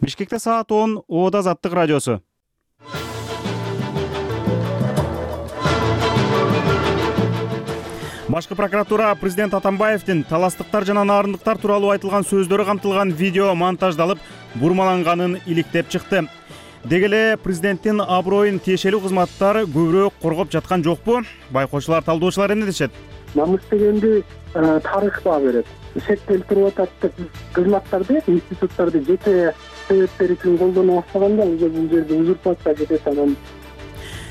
Бишкекте саат 10, Оода Азаттык радиосу. Башкы прокуратура президент Атамбаевдин таластыктар жана нарындыктар тууралуу айтылган сөздөрү камтылган видео монтаждалып, бурмаланганын иликтеп чыкты. Деги эле президенттин аброюн тиешелүү кызматтар көбүрөөк коргоп жаткан жокпу? Байкоочулар, талдоочулар эмне дешет? Намыс дегенди тарых баа берет. Шектелип туруп атат деп кызматтарды, институттарды жете себептери үчүн колдоно баштаганда бул жерде узурпация кетет. Анан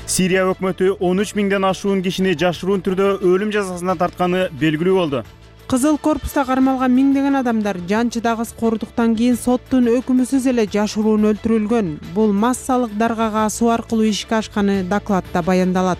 Сирия өкмөтү 13 миңден ашуун кишини жашыруун түрдө өлүм жазасына тартканы белгилүү болду. Кызыл корпуста кармалган миңдеген адамдар жанчыда кыз корудуктан кийин соттун өкүмүсүз эле жашыруун өлтүрүлгөн. Бул массалык даргага асуу аркылуу ишке ашканы докладта баяндалат.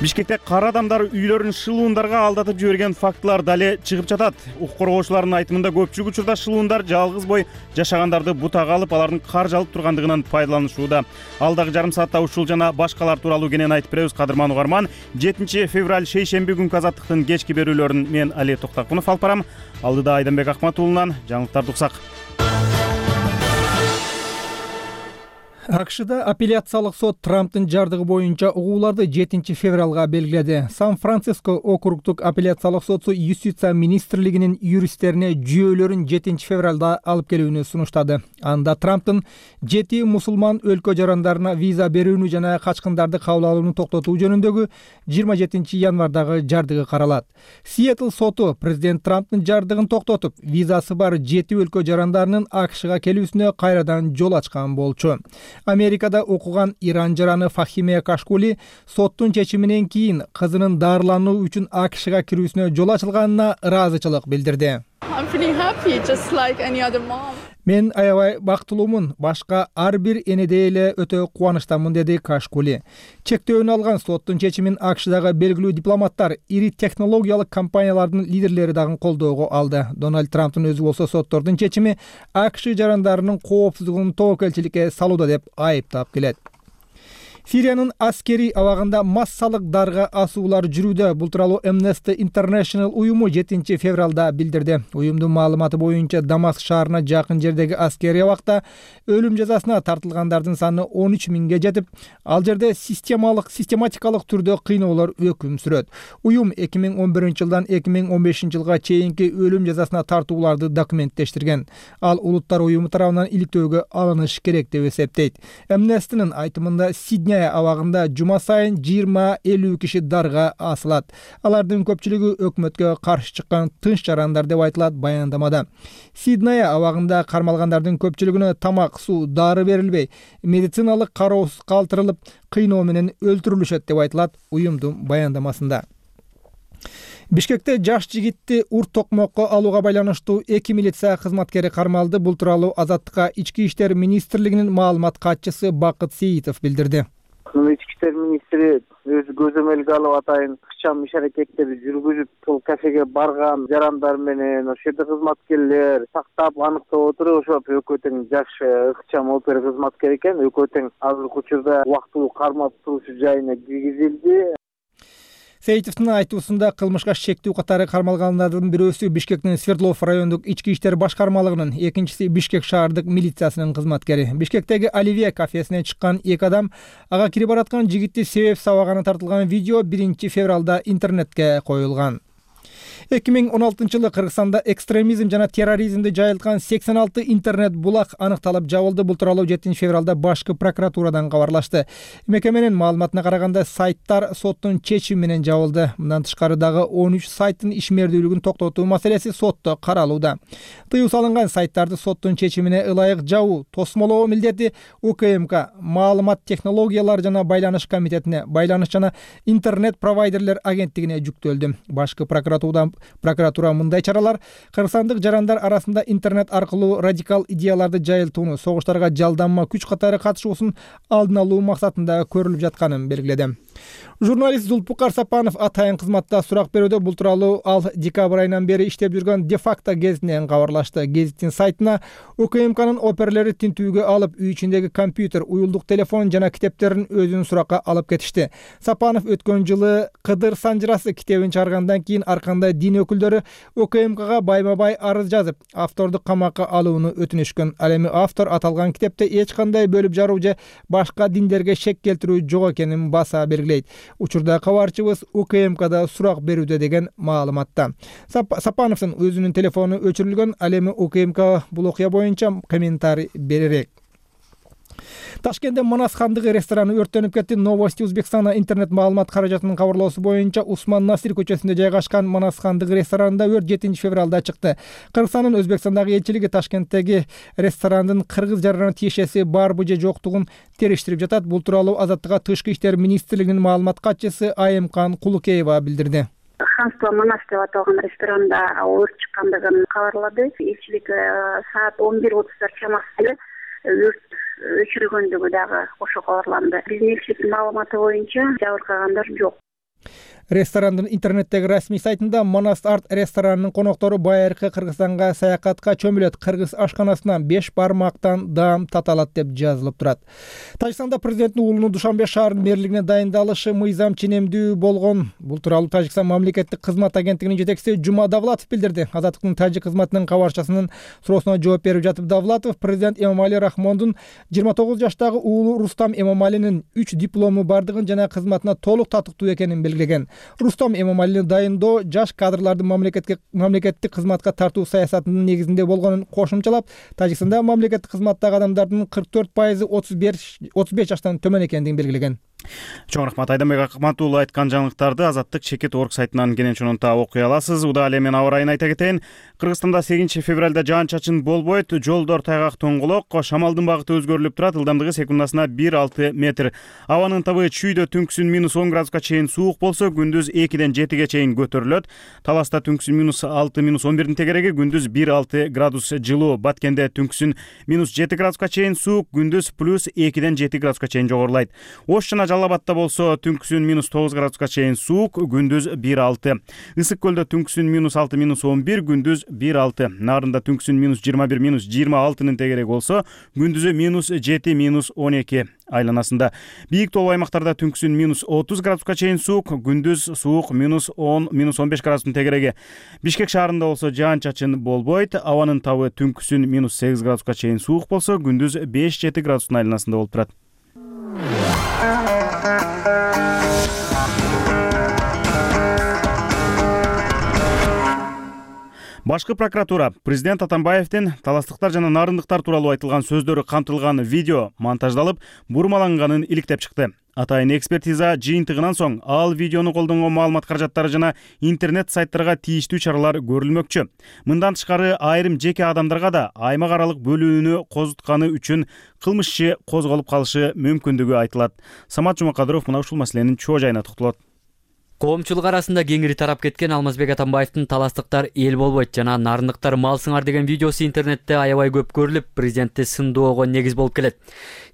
Бишкекте кара адамдар үйлөрүн шылуундарга алдатып жиберген фактылар дале чыгып жатат. Укук коргоочулардын айтымында көпчүлүк учурда шылуундар жалгыз бой жашагандарды бутага алып, алардын кар жалып тургандыгынан пайдаланышууда. Алдагы жарым саатта ушул жана башкалар тууралуу кенен айтып беребиз, кадырман угарман. 7 февраль шейшемби күнкү Азаттыктын кечки берүүлөрүн мен Али Токтакунов алып барам. Алдыда Айданбек Акматуулунан жаңылыктарды уксак. АКШда апелляциялык сот Трамптын жардыгы боюнча угууларды 7 февралга белгиледи. Сан-Франциско округдук апелляциялык соту юстиция министрлигинин юристтерине жүйөлөрүн 7 февралда алып келүүнү сунуштады. Анда Трамптын 7 мусулман өлкө жарандарына виза берүүнү жана качкындарды кабыл алууну токтотуу жөнүндөгү 27 январдагы жардыгы каралат. Сиэтл соту президент Трамптын жардыгын токтотуп, визасы бар 7 өлкө жарандарынын АКШга келүүсүнө кайрадан жол ачкан болчу. Америкада окуган Иран жараны Фахиме Кашкули соттун чечиминен кийин кызынын дарылануу үчүн АКШга кирүүсүнө жол ачылганына ыраазычылык билдирди. Мен аябай бактылуумун, башка ар бир энедей эле өтө кубанычтамын, деди Кашкули. Чектөөнү алган соттун чечимин АКШдагы белгилүү дипломаттар, ири технологиялык компаниялардын лидерлери дагы колдоого алды. Дональд Трамптын өзү болсо соттордун чечими АКШ жарандарынын коопсуздугун тобокелчиликке салууда деп айыптап келет. Сириянын аскери абагында массалык дарга асуулар жүрүүдө. Бул тууралуу Amnesty International уюму 7 февралда билдирди. Уюмдун маалыматы боюнча Дамаск шаарына жакын жердеги аскери абакта өлүм жазасына тартылгандардын саны 13 миңге жетип, ал жерде систематикалык түрдө кыйноолор өкүм сүрөт. Уюм 2011-жылдан 2015 жылга чейинки өлүм жазасына тартууларды документтештирген. Ал улуттар уюму тарабынан иликтөөгө алыныш керек деп эсептейт. Amnesty'нын айтымында Сидней абагында жума сайын 20-50 киши дарга асылат. Алардын көпчүлүгү өкмөткө каршы чыккан тынч жарандар деп айтылат баяндамада. Сидней абагында кармалгандардын көпчүлүгүнө тамак, суу, дары берилбей, медициналык кароосуз калтырылып, кыйноо менен өлтүрүлүшөт деп айтылат уюмдун баяндамасында. Бишкекте жаш жигитти урт токмокко алууга байланыштуу 2 милиция кызматкери кармалды. Бул тууралуу Азаттыкка Ички иштер министрлигинин маалымат катчысы Бакыт Сейитов билдирди. Ички иштер министри өзү көзөмөлгө алып атайын ыкчам иш-аракеттерди жүргүзүп, бул кафеге барган жарандар менен ошол жерде кызматкерлер сактап, аныктап отуруп, ошо экөө тең жаш ыкчам опер кызматкер экен. Экөө тең азыркы учурда убактылуу кармап турушу жайына киргизилди. Сейитовдун айтуусунда кылмышка шектүү катары кармалгандардын бирөөсү Бишкектин Свердлов райондук ички иштер башкармалыгынын, экинчиси Бишкек шаардык милициясынын кызматкери. Бишкектеги Оливье кафесине чыккан 2 адам ага кирип бараткан жигитти себеп сабаганы тартылган видео 1 февралда интернетке коюлган. 2016-жылы Кыргызстанда экстремизм жана терроризмди жайылткан 86 интернет булак аныкталып жабылды. Бул тууралуу 7 февралда башкы прокуратурадан кабарлашты. Мекеменин маалыматына караганда сайттар соттун чечими менен жабылды. Мындан тышкары дагы 13 сайттын ишмердүүлүгүн токтотуу маселеси сотто каралууда. Тыюу салынган сайттарды соттун чечимине ылайык жабуу, тосмолоо милдети УКМК, маалымат технологиялары жана байланыш комитетине, байланыш жана интернет провайдерлер агенттигине жүктөлдү. Башкы прокуратура мындай чаралар кыргызстандык жарандар арасында интернет аркылуу радикал идеяларды жайылтууну, согуштарга жалданма күч катары катышуусун алдын алуу максатында көрүлүп жатканын белгиледи. Журналист Зулпукар Сапанов атайын кызматта сурак берүүдө. Бул тууралуу ал декабрь айынан бери иштеп жүргөн де-факто гезитинен кабарлашты. Гезиттин сайтына УКМКнын оперлери тинтүүгө алып, үй ичиндеги компьютер, уюлдук телефон жана китептерин өзүнүн суракка алып кетишти. Сапанов өткөн жылы Кыдыр Санжырасы китебин чыгаргандан кийин аркандай дин өкүлдөрү УКМКга байма бай арыз жазып, авторду камакка алууну өтүнүшкөн. Ал эми автор аталган китепте эч кандай бөлүп жаруу же башка диндерге шек келтирүү жок экенин баса белгилейт. Учурда кабарчыбыз УКМКда сурак берүүдө деген маалыматта. Сапановдун өзүнүн телефону өчүрүлгөн. Ал эми УКМК бул окуя боюнча комментарий беререк. Ташкентте Манас хандыгы рестораны өрттөнүп кетти. Новости Узбекстана интернет маалымат каражатынын кабарлоосу боюнча Усман Насир көчөсүндө жайгашкан Манас хандыгы ресторанында өрт 7 февралда чыкты. Кыргызстандын Өзбекстандагы элчилиги Ташкенттеги ресторандын кыргыз жаранына тиешеси барбы же жоктугун териштирип жатат. Бул тууралуу Азаттыкка Тышкы иштер министрлигинин маалымат катчысы Айымкан Кулукеева билдирди. Ханство Манас деп аталган ресторанда өрт чыккандыгын кабарлады. Элчилик саат 11:30 чамасында өрт өчүрүлгөндүгү дагы ошо кабарланды. Биздин элчиликтин маалыматы боюнча жабыркагандар жок. Ресторандын интернеттеги расмий сайтында Манас Арт ресторанынын коноктору байыркы Кыргызстанга саякатка чөмүлөт. Кыргыз ашканасынан 5 бармактан даам таталат деп жазылып турат. Тажикстанда президенттин уулунун Душанбе шаарынын мэрлигине дайындалышы мыйзам ченемдүү болгон. Бул тууралуу Тажикстан мамлекеттик кызмат агенттигинин жетекчиси Жума Давлатов билдирди. Азаттыктын тажик кызматынын кабарчасынын суроосуна жооп берип жатып Давлатов президент Эмомали Рахмондун 29 жаштагы уулу Рустам Эмомалинин 3 диплому бардыгын жана кызматына толук татыктуу экенин белгилеген. Рустам Эмомалини дайындоо жаш кадрларды мамлекеттик кызматка тартуу саясатынын негизинде болгонун кошумчалап, Тажикстанда мамлекеттик кызматтагы адамдардын 44% 35 жаштан төмөн экендигин белгилеген. Чоң рахмат Айданбек Акматуулу айткан жаңылыктарды Азаттык чекит орг сайтынан кенен чонунта окуй аласыз. Удаа эле мен аба ырайын айта кетейин. Кыргызстанда 8 февралда жаан-чачын болбойт, жолдор тайгак тоңголок, шамалдын багыты өзгөрүлүп турат, ылдамдыгы секундасына 1-6 метр. Абанын табы чүйдө түнкүсүн -10 градуска чейин суук болсо, күндүз 2-ден 7ге чейин көтөрүлөт. Таласта түнкүсүн -6, -11 тегереги, күндүз 1-6 градус жылуу. Баткенде түнкүсүн -7 градуска чейин суук, күндүз +2-ден 7 градуска чейин жогорулайт. Ош жана Жалал-Абадта болсо түнкүсүн -9 градуска чейин суук, күндүз 1-6. Ысык көлдө түнкүсүн -6, -11, күндүз 1-6. Нарында түнкүсүн -21, -26 тегереги болсо, күндүзү -7, -12 айланасында. Бийик тоолуу аймактарда түнкүсүн -30 градуска чейин суук, күндүз суук -10, -15 градустун тегереги. Бишкек шаарында болсо жаан-чачын болбойт. Абанын табы түнкүсүн -8 градуска чейин суук болсо, күндүз 5-7 градустун айланасында болуп турат. Башкы прокуратура президент Атамбаевдин таластыктар жана нарындыктар тууралуу айтылган сөздөрү камтылган видео монтаждалып, бурмаланганын иликтеп чыкты. Атайын экспертиза жыйынтыгынан соң ал видеону колдонгон маалымат каражаттары жана интернет сайттарга тийиштүү чаралар көрүлмөкчү. Мындан тышкары айрым жеке адамдарга да аймак аралык бөлүүнү козутканы үчүн кылмыш иши козголуп калышы мүмкүндүгү айтылат. Самат Жумакадыров мына ушул маселенин чоо жайына токтолот. Коомчулук арасында кеңири тарап кеткен Алмазбек Атамбаевдин таластыктар эл болбойт жана нарындыктар мал сыңар деген видеосу интернетте аябай көп көрүлүп, президентти сындоого негиз болуп келет.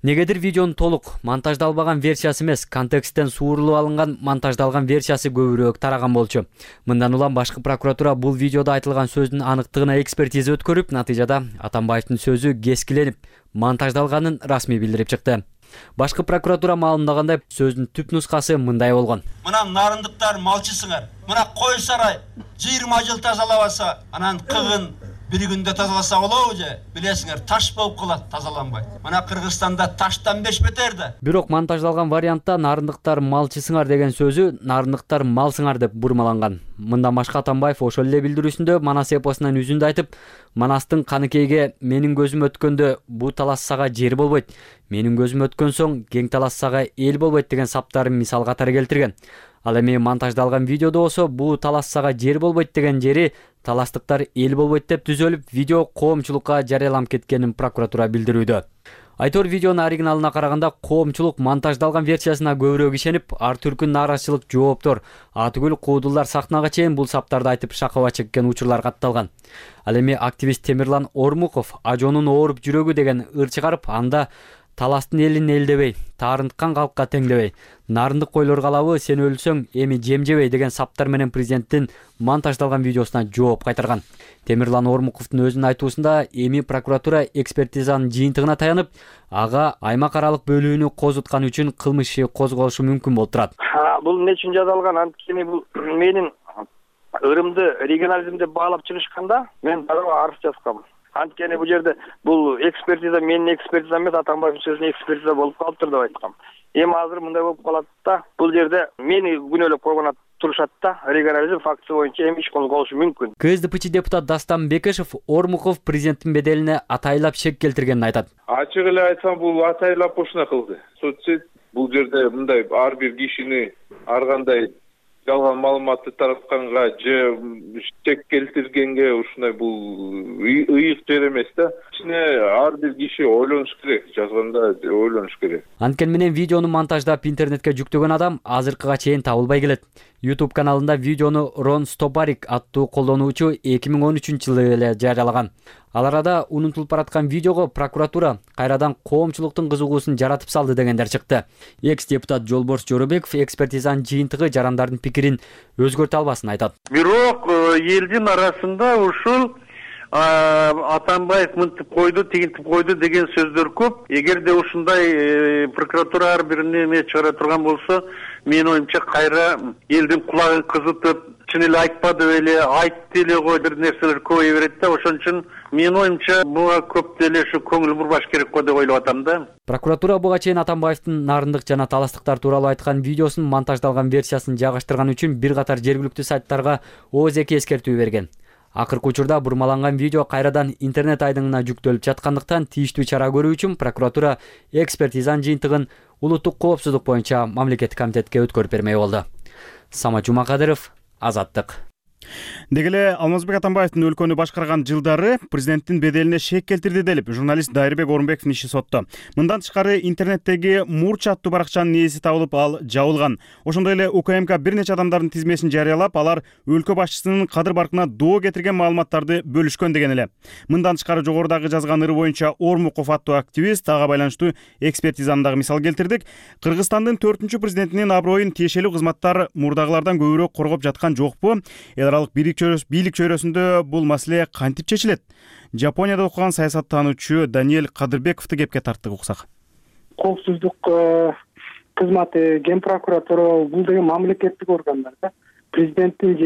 Негедир видеонун толук монтаждалбаган версиясы эмес, контексттен суурулуп алынган монтаждалган версиясы көбүрөөк тараган болчу. Мындан улам башкы прокуратура бул видеодо айтылган сөздүн аныктыгына экспертиза өткөрүп, натыйжада Атамбаевдин сөзү кескиленип, монтаждалганын расмий билдирип чыкты. Башкы прокуратура маалымдагандай, сөздүн түп нускасы мындай болгон. Мына нарындыктар малчысыңар. Мына кой сарай 20 жыл тазалабаса, анан кыгын бир күндө тазаласа болобу же? Билесиңер, таш болуп калат тазаланбай. Мына Кыргызстанда таштан 5 метр да. Бирок монтаждалган вариантта нарындыктар малчысыңар деген сөзү нарындыктар малсыңар деп бурмаланган. Мындан башка Атамбаев ошол эле билдирүүсүндө Манас эпосунан үзүндү айтып, Манастын каныкейге менин көзүм өткөндө бу талассага жер болбойт, менин көзүм өткөн соң кең талассага эл болбойт деген саптарын мисал катары келтирген. Ал эми монтаждалган видеодо болсо бу талассага жер болбойт деген жери таластыктар эл болбойт деп түзөлүп, видео коомчулукка жарыяланып кеткенин прокуратура билдирүүдө. Айтор видеонун оригиналына караганда коомчулук монтаждалган версиясына көбүрөөк ишенип, ар түркүн нааразычылык жооптор, атүгүл куудулдар сахнага чейин бул саптарды айтып шакыба чеккен учурлар катталган. Ал эми активист Темирлан Ормуков ажонун ооруп жүрөгү деген ыр чыгарып, анда таластын элин элдебей, таарынткан калкка теңдебей, нарындык койлор калабы, сен өлсөң эми жем жебей деген саптар менен президенттин монтаждалган видеосуна жооп кайтарган. Темирлан Ормуковдун өзүнүн айтуусунда эми прокуратура экспертизанын жыйынтыгына таянып, ага аймак аралык бөлүүнү козутканы үчүн кылмыш иши козголушу мүмкүн болуп турат. Бул эмне үчүн жасалган? Анткени бул менин ырымды регионализм деп баалап чыгышканда мен дагы арыз жазгам. Анткени бул жерде бул экспертиза менин экспертизам эмес, Атамбаевдин сөзүнө экспертиза болуп калыптыр деп айткам. Эми азыр мындай болуп калат да, бул жерде мени күнөөлөп койгон турушат да, регионализм фактысы боюнча эми иш козголушу мүмкүн. КСДПчи депутат Дастан Бекешев Ормуков президенттин беделине атайлап шек келтиргенин айтат. Ачык эле айтсам, бул атайлап ушуна кылды. Соцсет бул жерде мындай ар бир кишини ар кандай жалган маалыматты таратканга же шек келтиргенге ушундай бул ыйык жер эмес да. Ичине ар бир киши ойлонуш керек, жазганда ойлонуш керек. Анткени менен видеону монтаждап интернетке жүктөгөн адам азыркыга чейин табылбай келет. YouTube каналында видеону Рон Стопарик аттуу колдонуучу 2013-жылы эле жарыялаган. Ал арада унутулуп бараткан видеого прокуратура кайрадан коомчулуктун кызыгуусун жаратып салды дегендер чыкты. Экс-депутат Жолборс Жоробеков экспертизанын жыйынтыгы жарандардын пикирин өзгөртө албасын айтат. Бирок элдин арасында ушул Атамбаев мынтип койду, тигинтип койду деген сөздөр көп. Эгерде ушундай прокуратура ар бирине эме чыгара турган болсо, менин оюмча кайра элдин кулагын кызытып, чын эле айтпады беле, айтты эле го бир нерселер көбөйө берет да. Ошон үчүн менин оюмча буга көп деле ушу көңүл бурбаш керек го деп ойлоп атам да. Прокуратура буга чейин Атамбаевдин нарындык жана таластыктар тууралуу айткан видеосун монтаждалган версиясын жайгаштырган үчүн бир катар жергиликтүү сайттарга ООЗК эскертүү берген. Акыркы учурда бурмаланган видео кайрадан интернет айдыңына жүктөлүп жаткандыктан тийиштүү чара көрүү үчүн прокуратура экспертизанын жыйынтыгын улуттук коопсуздук боюнча мамлекеттик комитетке өткөрүп бермек болду. Самат Жумакадыров, Азаттык. Деги эле Алмазбек Атамбаевдин өлкөнү башкарган жылдары президенттин беделине шек келтирди делип журналист Дайырбек Орунбековдун иши сотто. Мындан тышкары интернеттеги Мурч аттуу баракчанын ээси табылып, ал жабылган. Ошондой эле УКМК бир нече адамдардын тизмесин жарыялап, алар өлкө башчысынын кадыр баркына доо кетирген маалыматтарды бөлүшкөн деген эле. Мындан тышкары жогорудагы жазган ыры боюнча Ормуков аттуу активист ага байланыштуу экспертизаны дагы мисал келтирдик. Кыргызстандын 4-чү президентинин аброюн тиешелүү кызматтар мурдагылардан көбүрөөк коргоп жаткан жокпу? Бийлик чөйрөсүндө бул маселе кантип чечилет? Жапонияда окуган саясаттануучу Даниэль Кадырбековду кепке тарттык, уксак. Коопсуздук кызматы, Ген прокуратура бул деген мамлекеттик органдар да. Президенттин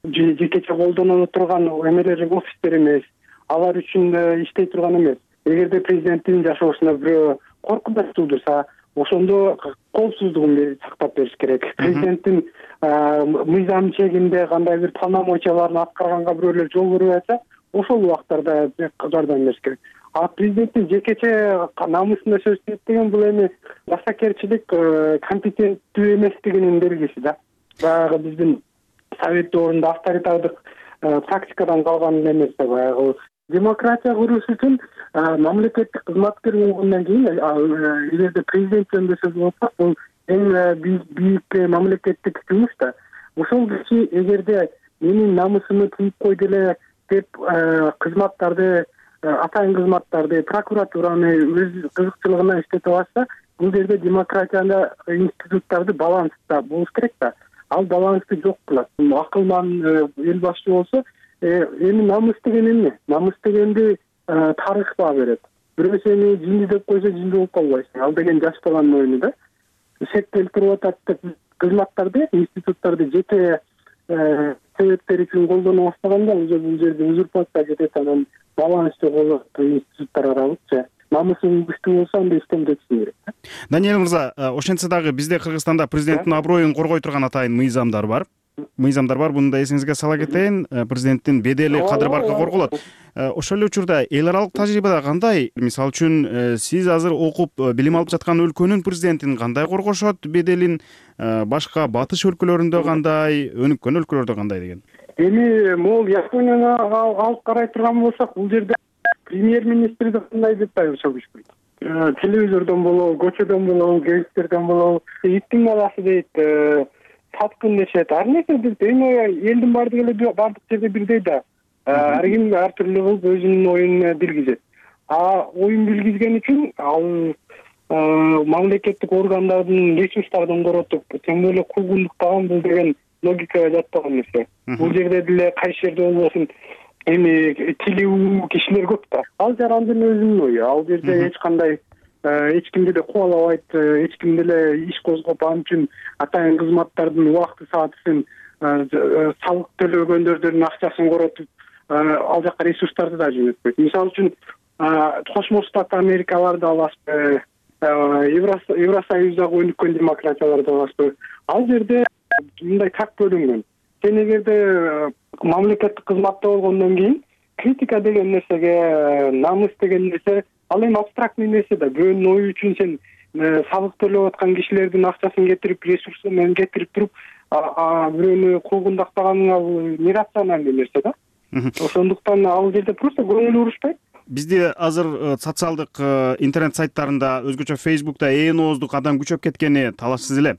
жекече колдоно турган эмелери, офистер эмес. Алар үчүн иштей турган эмес. Эгерде президенттин жашоосуна бирөө коркунуч туудурса, ошондо коопсуздугун сактап бериш керек. Президенттин мыйзам чегинде кандай бир полномочияларын аткарганга бирөөлөр жол берип атса, ошол убактарда жардам бериш керек. А президенттин жекече намысына сөз деген бул эми басакерчилик, компетенттүү эместигинин белгиси да. Баягы биздин совет доорунда авторитардык практикадан калган эмес да. Баягы демократия куруш үчүн мамлекеттик кызматкер болгондон кийин эгерде президент жөнүндө сөз болсок, бул эң бийик мамлекеттик жумуш да. Ошол киши эгерде менин намысымды тийип койду эле деп кызматтарды, атайын кызматтарды, прокуратураны өз кызыкчылыгына иштете алса, бул жерде демократияда институттарды баланста болуш керек да. Ал балансты жок кылат. Акылман эл башчы болсо, эми намыс деген эмне? Намыс дегенди тарых баа берет. Бирөө сени жинди деп койсо, жинди болуп калбайсың. Ал деген жаштаган оюну да. Шек келтирип атат деп кызматтарды, институттарды жеке себептер үчүн колдоно баштаганда, бул жерде узурпация кетет, анан баланс жоготот институттар аралык же. Намысың күчтүү болсо, анда иштемдетишиң керек. Даниэль мырза, ошентсе дагы бизде Кыргызстанда президенттин аброюн коргой турган атайын мыйзамдар бар. Буну да эсиңизге сала кетейин. Президенттин бедели, кадыр баркы корголот. Ошол эле учурда эл аралык тажрыйбада кандай? Мисалы үчүн, сиз азыр окуп, билим алып жаткан өлкөнүн президентин кандай коргошот беделин, башка батыш өлкөлөрүндө кандай, өнүккөн өлкөлөрдө кандай деген? Эми могул Японияны алып карай турган болсок, бул жерде премьер-министрди кандай деп айырса күчпөйт. Телевизордон болобу, көчөдөн болобу, гезиттерден болобу, иттин баласы дейт, саткын дешет. Ар нерсе эми элдин бардык жерде бирдей да. Ар ким ар түрлүү кылып өзүнүн оюн билгизет. Оюн билгизген үчүн ал мамлекеттик органдардын ресурстарын коротуп, тең эле кулгундуктаган бул деген логикага жатпаган нерсе. Бул жерде деле кайсы жерде болбосун эми тилүү кишилер көп да. Ал жарандын өзүнүн ою. Ал жерде эч кандай эч кимди да кубалабайт, эч кимди эле иш козгоп, ал үчүн атайын кызматтардын убакты саатысын салык төлөгөндөрдүн акчасын коротуп ал жака ресурстарды да жөнөтпөйт. Мисалы үчүн Кошмо Штат Америкаларды аласызбы, Евросоюздагы өнүккөн демократияларды аласызбы, ал жерде мындай так бөлүнгөн. Сен эгерде мамлекеттик кызматта болгондон кийин критика деген нерсеге, намыс деген нерсе ал эми абстрактный нерсе да. Бирөөнүн ою үчүн сен салык төлөп аткан кишилердин акчасын кетирип, ресурсун менен кетирип туруп, бирөөнү куугундактаганың ал нерациональный нерсе да. Ошондуктан ал жерде просто көңүл урушпайт. Бизде азыр социалдык интернет сайттарында, өзгөчө Facebook'та ээн ооздук адам күчөп кеткени талашсыз эле.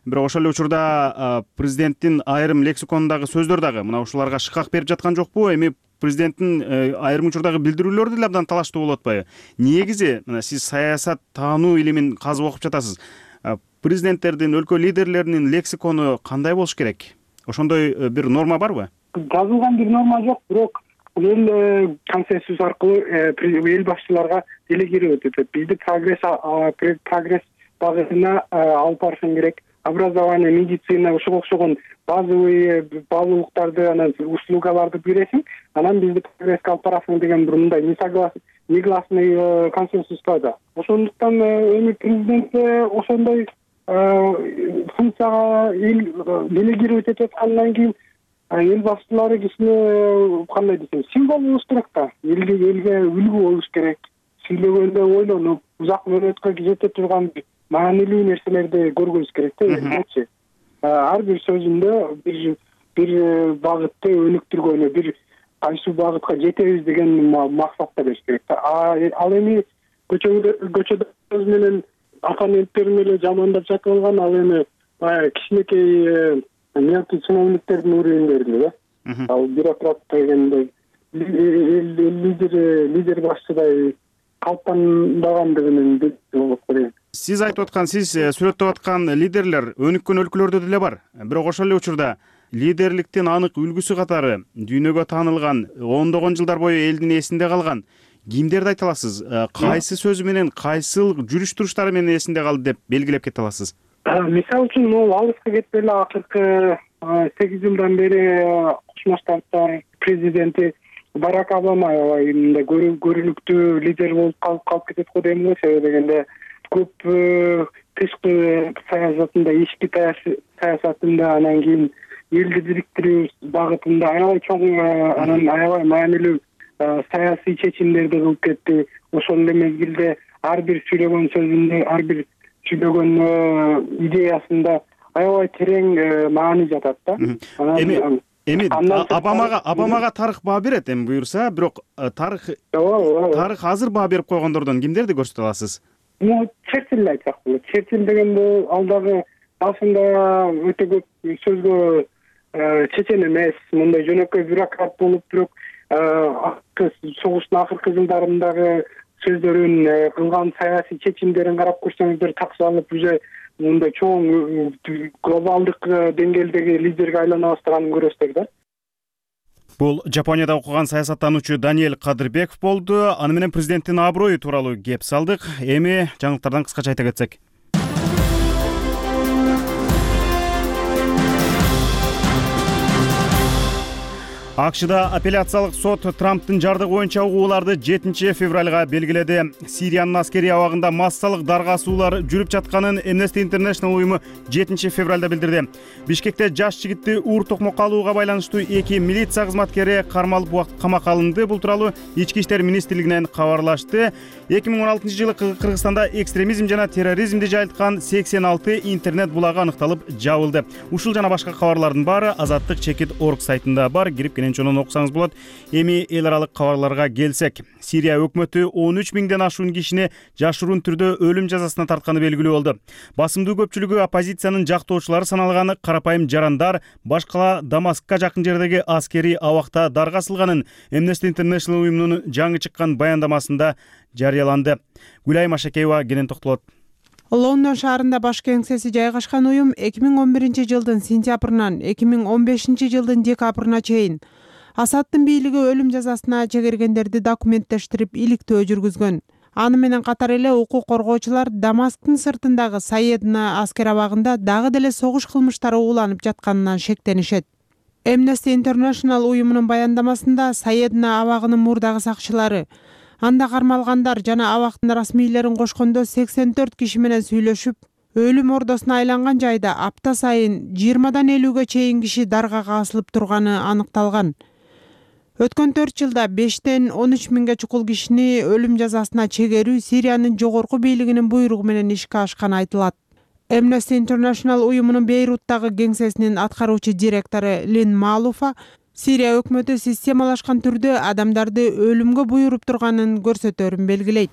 Бирок ошол эле учурда президенттин айрым лексиконундагы сөздөр дагы мына ушуларга шыкак берип жаткан жокпу? Эми президенттин айрым учурдагы билдирүүлөрү деле абдан талаштуу болуп атпайбы? Негизи мына сиз саясат таануу илимин казып окуп жатасыз. Президенттердин, өлкө лидерлеринин лексикону кандай болуш керек? Ошондой бир норма барбы? Жазылган бир норма жок, бирок эл консенсус аркылуу эл башчыларга делегировать этет. Бизди прогресс багытына алып барышың керек. Образование, медицина, ошого окшогон базовый анан услугаларды бересиң, анан бизди прогресске алып барасың деген бир мындай негласный консенсус бар да. Ошондуктан эми президент ошондой функцияга делегировать этип аткандан кийин эл башчылары кишини кандай десем, символ болуш керек да. Элге үлгү болуш керек. Сүйлөгөндө ойлонуп, узак мөөнөткө жете турган маанилүү нерселерди көргүбүз керек да. Элчи ар бир сөзүндө бир багытты өнүктүргөнү, бир кайсы багытка жетебиз деген максатта бериш керек да. Ал эми көчөдө сөз менен оппоненттерин эле жамандап жатып алган, ал эми баягы кичинекей мелкий чиновниктердин уровеньдеринде да. Ал бюрократ дегенде лидер башчыдай калпандагандыгын болуп калат. Сиз айтып аткан, сиз сүрөттөп аткан лидерлер өнүккөн өлкөлөрдө деле бар. Бирок ошол эле учурда лидерликтин анык үлгүсү катары дүйнөгө таанылган, ондогон жылдар бою элдин эсинде калган кимдерди айта аласыз? Кайсы сөзү менен, кайсыл жүрүш туруштары менен эсинде калды деп белгилеп кете аласыз? Мисалы үчүн, могул алыска кетпей эле акыркы 8 жылдан бери Кошмо Штаттар президенти Барак Обама аябай мындай көрүнүктүү лидер болуп калып кетет го дейм го. Себеби дегенде көп тышкы саясатында, ички саясатында, анан кийин элди бириктирүү багытында аябай чоң, анан аябай маанилүү саясий чечимдерди кылып кетти. Ошол эле мезгилде ар бир сүйлөгөн сөзүндө, ар бир сүйлөгөн идеясында аябай терең маани жатат да. Эми Обамага тарых баа берет эми буюрса, бирок тарых азыр баа берип койгондордон кимдерди көрсөтө аласыз? Черчилль айтсак болот. Черчилль дегенде ал дагы башында өтө көп сөзгө чечен эмес, мындай жөнөкөй бюрократ болуп, бирок согуштун акыркы жылдарындагы сөздөрүн, кылган саясий чечимдерин карап көрсөңүздөр таксалып уже мындай чоң глобалдык деңгээлдеги лидерге айлана баштаганын көрөсүздөр да. Бул Жапонияда окуган саясаттануучу Даниэль Кадырбеков болду. Аны менен президенттин аброю тууралуу кеп салдык. Эми жаңылыктардан кыскача айта кетсек. АКШда апелляциялык сот Трамптын жардыгы боюнча угууларды 7 февралга белгиледи. Сириянын аскерий абагында массалык даргасуулар жүрүп жатканын Amnesty International уюму 7 февралда билдирди. Бишкекте жаш жигитти уур токмокко алууга байланыштуу 2 милиция кызматкери кармалып убакыт камакка алынды. Бул тууралуу Ички иштер министрлигинен кабарлашты. 2016-жылы Кыргызстанда экстремизм жана терроризмди жайылткан 86 интернет булагы аныкталып жабылды. Ушул жана башка кабарлардын баары Азаттык Чекит.org сайтында бар, кирип чонун окусаңыз болот. Эми эл аралык кабарларга келсек, Сирия өкмөтү 13 миңден ашуун кишини жашыруун түрдө өлүм жазасына тартканы белгилүү болду. Басымдуу көпчүлүгү оппозициянын жактоочулары саналган карапайым жарандар башкала Дамаскка жакын жердеги аскерий абакта даргасылганын Amnesty International уюмунун жаңы чыккан баяндамасында жарыяланды. Гүлай Машакеева кенен токтолот. Лондон шаарында баш кеңсеси жайгашкан уюм 2011-жылдын сентябрынан 2015-жылдын декабрына чейин Асадтын бийлиги өлүм жазасына чегергендерди документтештирип иликтөө жүргүзгөн. Аны менен катар эле укук коргоочулар Дамасктын сыртындагы Саедна аскер абагында дагы деле согуш кылмыштары уланып жатканынан шектенишет. Amnesty International уюмунун баяндамасында Саедна абагынын мурдагы сакчылары анда кармалгандар жана абактын расмийлерин кошкондо 84 киши менен сүйлөшүп, өлүм ордосуна айланган жайда апта сайын 20-дан 50-ге чейин киши даргага асылып турганы аныкталган. Өткөн 4 жылда 5-тен 13 миңге чукул кишини өлүм жазасына чегерүү Сириянын жогорку бийлигинин буйругу менен ишке ашканы айтылат. Amnesty International уюмунун Бейруттагы кеңсесинин аткаруучу директору Лин Малуфа Сирия өкмөтү системалашкан түрдө адамдарды өлүмгө буйруп турганын көрсөтөрүн белгилейт.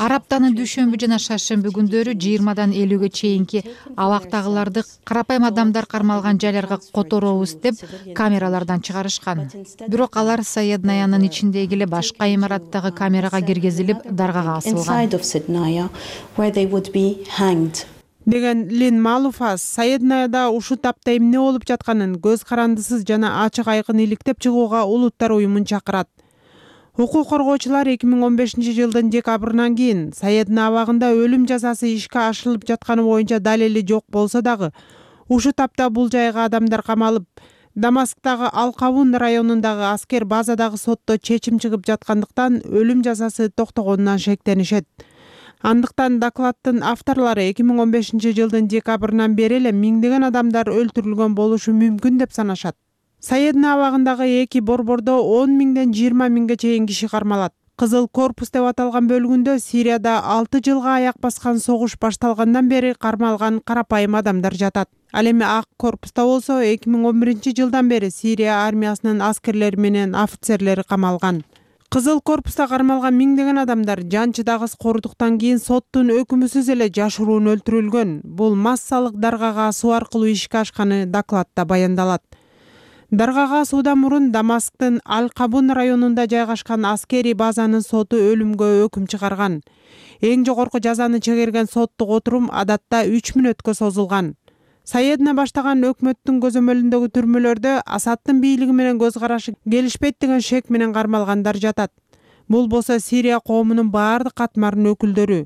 Ар аптанын дүйшөмбү жана шаршемби күндөрү 20-дан 50-ге чейинки абактагыларды карапайым адамдар кармалган жайларга которобуз деп камералардан чыгарышкан. Бирок алар Саеднаянын ичиндеги эле башка имараттагы камерага киргизилип, даргага асылган. Деген Лин Малуфа Саеднаяда ушул тапта эмне болуп жатканын көз карандысыз жана ачык айкын иликтеп чыгууга улуттар уюмун чакырат. Укук коргоочулар 2015-жылдын декабрынан кийин Саедна абагында өлүм жазасы ишке ашырылып жатканы боюнча далили жок болсо дагы, ушул тапта бул жайга адамдар камалып, Дамасктагы Ал-Кабун районундагы аскер базадагы сотто чечим чыгып жаткандыктан өлүм жазасы токтогонунан шектенишет. Андыктан докладдын авторлору 2015-жылдын декабрынан бери эле миңдеген адамдар өлтүрүлгөн болушу мүмкүн деп санашат. Саедна абагындагы 2 борбордо 10 миңден 20 миңге чейин киши кармалат. Кызыл корпус деп аталган бөлүгүндө Сирияда 6 жылга аяк баскан согуш башталгандан бери кармалган карапайым адамдар жатат. Ал эми ак корпуста болсо 2011-жылдан бери Сирия армиясынын аскерлери менен офицерлери камалган. Кызыл корпуста кармалган миңдеген адамдар жанчыдагыс кордуктан кийин соттун өкүмүсүз эле жашыруун өлтүрүлгөн. Бул массалык даргага асуу аркылуу ишке ашканы докладта баяндалат. Даргага асуудан мурун Дамасктын Ал-Кабун районунда жайгашкан аскерий базанын соту өлүмгө өкүм чыгарган. Эң жогорку жазаны чегерген соттук отурум адатта 3 мүнөткө созулган. Саедна баштаган өкмөттүн көзөмөлүндөгү түрмөлөрдө Асадтын бийлиги менен көз карашы келишпейт деген шек менен кармалгандар жатат. Бул болсо Сирия коомунун баардык катмарынын өкүлдөрү,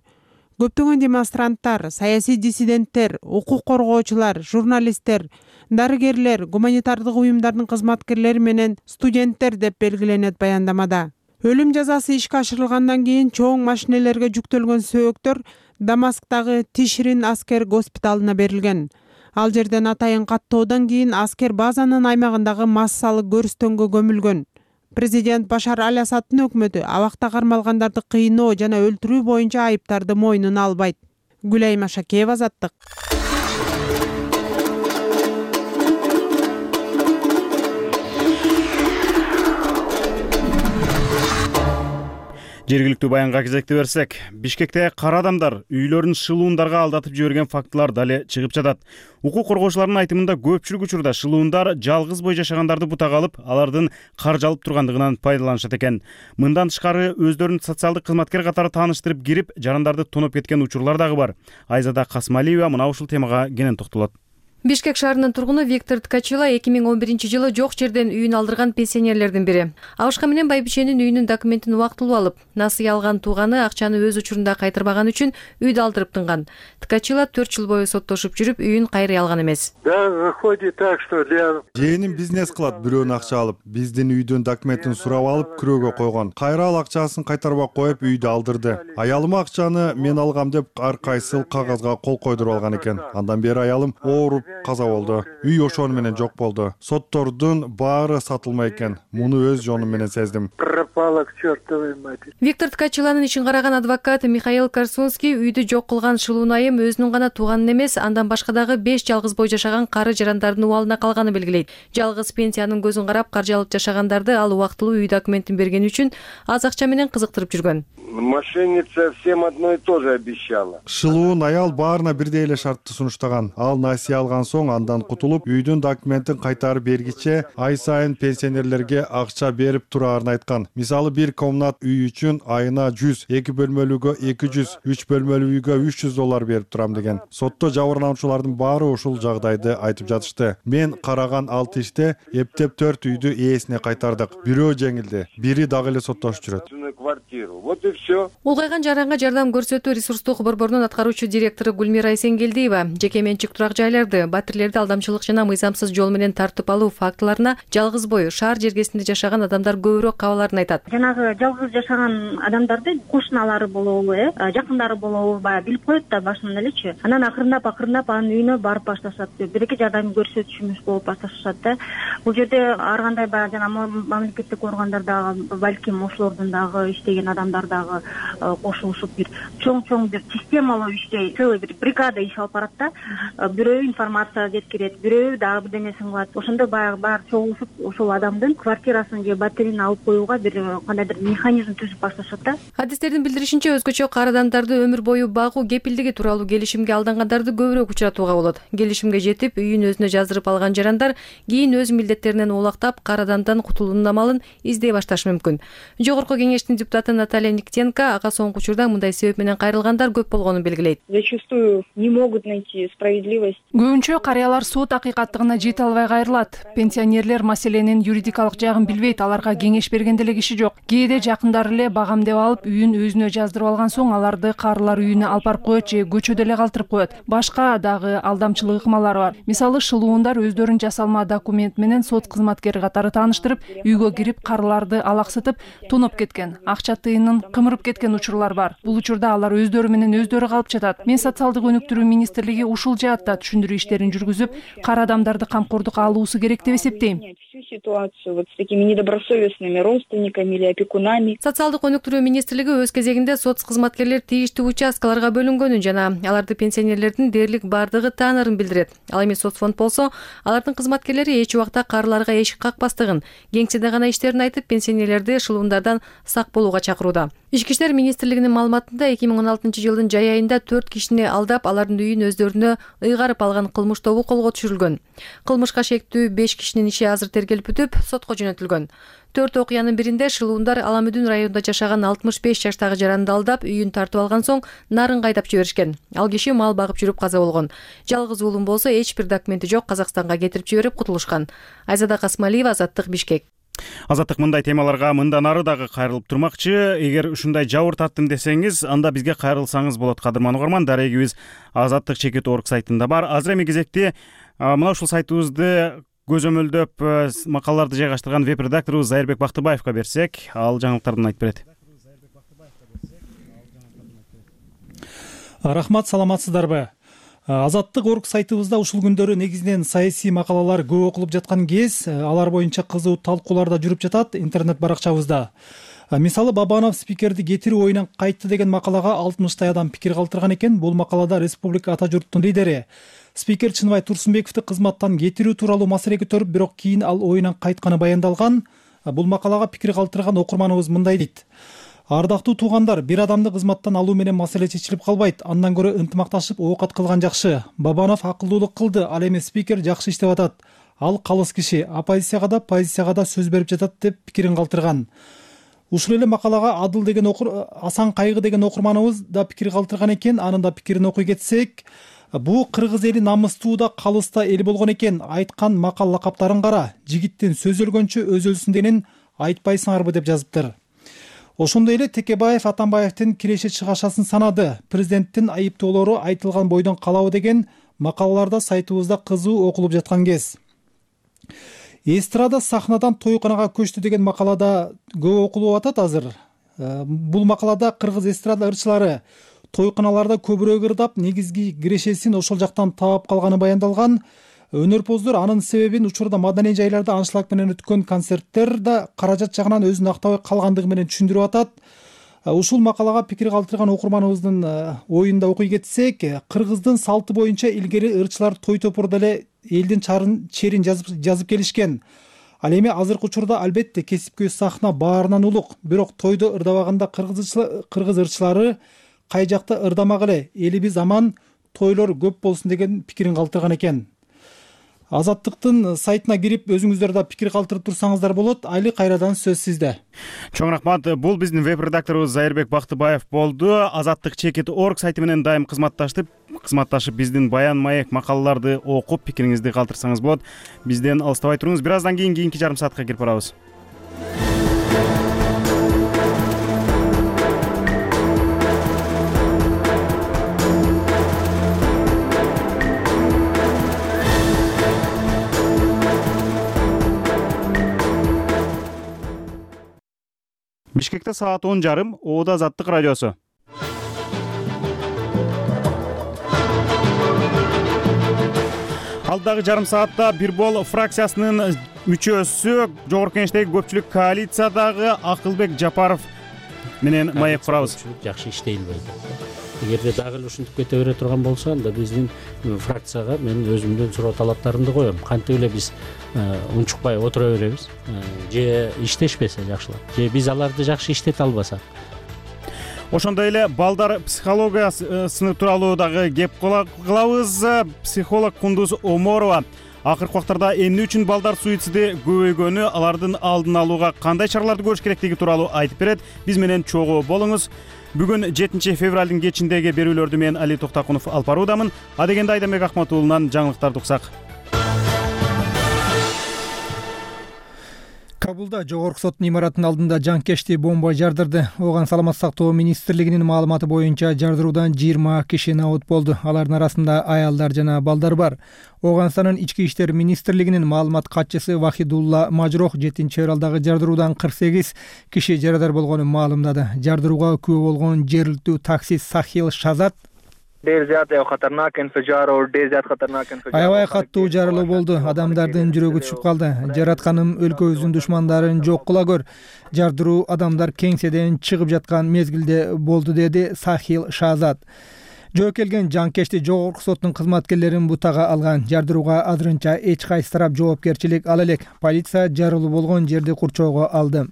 көптөгөн демонстранттар, саясий диссиденттер, укук коргоочулар, журналисттер, дарыгерлер, гуманитардык уюмдардын кызматкерлери менен студенттер деп белгиленет баяндамада. Өлүм жазасы ишке ашырылгандан кийин чоң машинелерге жүктөлгөн сөөктөр Дамасктагы Тишрин аскер госпиталына берилген. Ал жерден атайын каттоодон кийин аскер базанын аймагындагы массалык көрүстөнгө көмүлгөн. Президент Башар Аль-Асадтын өкмөтү абакта кармалгандарды кыйноо жана өлтүрүү боюнча айыптарды мойнуна албайт. Гүлайым Ашакеева, Азаттык. Жергиликтүү баянга кезекти берсек, Бишкекте кара адамдар үйлөрүн шылуундарга алдатып жиберген фактылар дале чыгып жатат. Укук коргоочулардын айтымында көпчүлүк учурда шылуундар жалгыз бой жашагандарды бутага алып, алардын каржы алып тургандыгынан пайдаланышат экен. Мындан тышкары өздөрүн социалдык кызматкер катары тааныштырып кирип, жарандарды тоноп кеткен учурлар дагы бар. Айзада Касмалиева мына ушул темага кенен токтолот. Бишкек шаарынын тургуну Виктор Ткачила 2011-жылы жок жерден үйүн алдырган пенсионерлердин бири. Абышка менен байбиченин үйүнүн документин убактылуу алып, насыя алган тууганы акчаны өз учурунда кайтарбаган үчүн үйдү алдырып тынган. Ткачила 4 жыл бою соттошуп жүрүп, үйүн кайрый алган эмес. Да, выходит так, что Жээним бизнес кылат, бирөөнүн акча алып, биздин үйдүн документин сурап алып, күрөөгө койгон. Кайра ал акчасын кайтарбай коюп үйдү алдырды. Аялым акчаны мен алгам деп ар кайсыл кагазга кол койдуруп алган экен. Андан бери аялым ооруп каза болду. Үй ошону менен жок болду. Соттордун баары сатылмай экен. Муну өз жонум менен сездим. Пропала к чертовой матери. Виктор Ткачиланын ишин караган адвокат Михаил Корсунский үйдү жок кылган шылуун айым өзүнүн гана тууганын эмес, андан башка дагы 5 жалгыз бой жашаган кары жарандардын убалына калганын белгилейт. Жалгыз пенсиянын көзүн карап каржы алып жашагандарды ал убактылуу үй документин бергени үчүн аз акча менен кызыктырып жүргөн. Мошенница всем одно и то же обещала. Шылуун аял баарына бирдей эле шартты сунуштаган. Ал насыя алган алган соң андан кутулуп, үйдүн документин кайтарып бергиче ай сайын пенсионерлерге акча берип тураарын айткан. Мисалы, бир комнат үй үчүн айына 100, 2 бөлмөлүүгө 200, 3 бөлмөлүү үйгө $300 берип турам деген. Сотто жабырлануучулардын баары ушул жагдайды айтып жатышты. Мен караган 6 иште эптеп 4 үйдү ээсине кайтардык. Бирөө жеңилди, бири дагы эле соттошуп жүрөт. Вот и все. Улгайган жаранга жардам көрсөтүү ресурстук борборунун аткаруучу директору Гүлмира Эсенгелдиева жеке менчик турак жайларды, батирлерди алдамчылык жана мыйзамсыз жол менен тартып алуу фактыларына жалгыз бой шаар жергесинде жашаган адамдар көбүрөөк кабаларын айтат. Жанагы жалгыз жашаган адамдарды кошуналары болобу, жакындары болобу, баягы билип коет да башынан элечи. Анан акырындап анын үйүнө барып башташат. Биринчи жардам көрсөтүшүмүз болуп башташат да. Бул жерде ар кандай баягы жана мамлекеттик органдар дагы, балким ошолордун дагы иштеген адамдар дагы кошулушуп бир чоң бир системалуу иштей, целый бир бригада иш алып барат да. Бирөө информация жеткирет, бирөө дагы бирдемесин кылат. Ошондо баягы баары чогулушуп ошол адамдын квартирасын же батирин алып коюуга бир кандайдыр механизм түзүп башташат да. Адистердин билдиришинче, өзгөчө кар адамдарды өмүр бою багуу кепилдиги тууралуу келишимге алдангандарды көбүрөөк учуратууга болот. Келишимге жетип, үйүн өзүнө жаздырып алган жарандар кийин өз милдеттеринен оолактап, кар адамдан кутулуунун амалын издей башташы мүмкүн. Жогорку кеңештин депутаты Наталья Никитенко ага соңку учурда мындай себеп менен кайрылгандар көп болгонун белгилейт. Зачастую не могут найти справедливость. Көбүнчө карыялар сот акыйкаттыгына жете албай кайрылат. Пенсионерлер маселенин юридикалык жагын билбейт, аларга кеңеш берген деле киши жок. Кээде жакындары эле багамдеп алып, үйүн өзүнө жаздырып алган соң аларды карылар үйүнө алып барып коет же көчөдө эле калтырып коет. Башка дагы алдамчылык ыкмалары бар. Мисалы, шылуундар өздөрүн жасалма документ менен сот кызматкери катары тааныштырып, үйгө кирип карыларды алаксытып, тоноп кеткен. Акча тыйынын кымырып кеткен учурлар бар. Бул учурда алар өздөрү менен өздөрү калып жатат. Мен социалдык өнүктүрүү министрлиги ушул жаатта түшүндүрүү иштерин жүргүзүп, кар адамдарды камкордукка алуусу керек деп эсептейм. Всю ситуацию вот с такими недобросовестными родственниками или опекунами. Социалдык өнүктүрүү министрлиги өз кезегинде соц кызматкерлер тийиштүү участкаларга бөлүнгөнүн жана аларды пенсионерлердин дээрлик бардыгы таанарын билдирет. Ал эми соцфонд болсо, алардын кызматкерлери эч убакта карларга эшик какпастыгын, кеңседе гана иштерин айтып, пенсионерлерди шылуундардан сак болууга чакырууда. Ички иштер министрлигинин маалыматында 2016 жылдын жай айында 4 кишини алдап, алардын үйүн өздөрүнө ыйгарып алган кылмыш тобу колго түшүрүлгөн. Кылмышка шектүү 5 кишинин иши азыр тергелип бүтүп, сотко жөнөтүлгөн. 4 окуянын биринде шылуундар Аламүдүн районунда жашаган 65 жаштагы жаранды алдап, үйүн тартып алган соң нарын кайдап жиберишкен. Ал киши мал багып жүрүп каза болгон. Жалгыз уулум болсо эч бир документи жок, Казакстанга кетирип жиберип кутулушкан. Айзада Касмалиева, Азаттык, Бишкек. Азаттык мындай темаларга мындан ары дагы кайрылып турмакчы. Эгер ушундай жабыр таттым десеңиз, анда бизге кайрылсаңыз болот. Кадырман угарман, дарегибиз azattik.org сайтында бар. Азыр эми кезекти мына ушул сайтыбызды көзөмөлдөп макалаларды жайгаштырган веб-редакторубуз Зайырбек Бактыбаевга берсек, ал жаңылыктардан айтып берет. Рахмат, саламатсыздарбы? Азаттык.org сайтыбызда ушул күндөрү негизинен саясий макалалар көп окулуп жаткан кез, алар боюнча кызуу талкуулар да жүрүп жатат интернет баракчабызда. Мисалы, Бабанов спикерди кетирүү оюнан кайтты деген макалага 60 адам пикир калтырган экен. Бул макалада республика ата журттун лидери спикер Чыныбай Турсунбековду кызматтан кетирүү тууралуу маселе көтөрүп, бирок кийин ал оюнан кайтканы баяндалган. Бул макалага пикир калтырган окурманыбыз мындай дейт: ардактуу туугандар, бир адамды кызматтан алуу менен маселе чечилип калбайт. Андан көрө ынтымакташып оокат кылган жакшы. Бабанов акылдуулук кылды, ал эми спикер жакшы иштеп атат. Ал калыс киши, оппозицияга да, позицияга да сөз берип жатат деп пикирин калтырган. Ушул эле макалага Адыл деген Асан Кайгы деген окурманыбыз да пикир калтырган экен. Анын да пикирин окуй кетсек, бу кыргыз эли намыстуу да, калыс да эл болгон экен. Айткан макал лакаптарын кара. Жигиттин сөз өлгөнчө өз өлсүн дегенин айтпайсыңарбы деп жазыптыр. Ошондой эле Текебаев Атамбаевдин киреше чыгашасын санады. Президенттин айыптоолору айтылган бойдон калабы деген макалаларда сайтыбызда кызуу окулуп жаткан кез. Эстрада сахнадан тойканага көчтү деген макалада көп окулуп атат азыр. Бул макалада кыргыз эстрада ырчылары тойканаларда көбүрөөк ырдап, негизги кирешесин ошол жактан таап калганы баяндалган. Өнөрпоздор анын себебин учурда маданий жайларда аншлаг менен өткөн концерттер да каражат жагынан өзүн актабай калгандыгы менен түшүндүрүп атат. Ушул макалага пикир калтырган окурманыбыздын оюнда окуй кетсек, кыргыздын салты боюнча илгери ырчылар той топурда эле элдин черин жазып келишкен. Ал эми азыркы учурда албетте кесипкөй сахна баарынан улук, бирок тойдо ырдабаганда кыргыз ырчылары кай жакта ырдамак эле, элибиз аман, тойлор көп болсун деген пикирин калтырган экен. Азаттыктын сайтына кирип өзүңүздөр да пикир калтырып турсаңыздар болот. Айли, кайрадан сөз сизде. Чоң рахмат. Бул биздин веб-редакторубуз Зайырбек Бактыбаев болду. Азаттык.org сайты менен дайым кызматташып биздин Баян Маек макалаларды окуп пикириңизди калтырсаңыз болот. Бизден алыстабай туруңуз. Бир аздан кийин кийинки жарым саатка кирип барабыз. Бишкекте саат 10:30, Оода Азаттык радиосу. Алдагы жарым саатта бир бол фракциясынын мүчөсү, жогорку кеңештеги көпчүлүк коалициядагы Акылбек Жапаров менен маек курабыз. Жакшы иштей элбейт. Эгерде дагы эле ушинтип кете бере турган болсо, анда биздин фракцияга мен өзүмдүн суроо талаптарымды коем. Кантип эле биз унчукпай отура беребиз, же иштешпесе жакшылап, же биз аларды жакшы иштете албасак. Ошондой эле балдар психологиясы тууралуу дагы кеп кылабыз. Психолог Кундуз Оморова акыркы убактарда эмне үчүн балдар суициди көбөйгөнү, алардын алдын алууга кандай чараларды көрүш керектиги тууралуу айтып берет. Биз менен чогуу болуңуз. Бүгүн 7 февралдын кечиндеги берүүлөрдү мен Али Токтакунов алып баруудамын. Адегенде Айдамбек Акматуулунан жаңылыктарды уксак. Кабулда жогорку соттун имаратынын алдында жанкечти бомба жардырды. Оған саламаттык сактоо министрлигинин маалыматы боюнча жардыруудан 20 киши набут болду. Алардын арасында аялдар жана балдар бар. Оганстандын ички иштер министрлигинин маалымат катчысы Вахидулла Мажрох 7 февралдагы жардыруудан 48 киши жарадар болгонун маалымдады. Жардырууга күбө болгон жергиликтүү таксист Сахил Шазат аябай каттуу жарылуу болду. Адамдардын жүрөгү түшүп калды. Жаратканым өлкөбүздүн душмандарын жок кыла көр. Жардыруу адамдар кеңседен чыгып жаткан мезгилде болду, деди Сахил Шазат. Жоокелген жанкечти жогорку соттун кызматкерлерин бутага алган. Жардырууга азырынча эч кайсы тарап жоопкерчилик ала элек. Полиция жарылуу болгон жерди курчоого алды.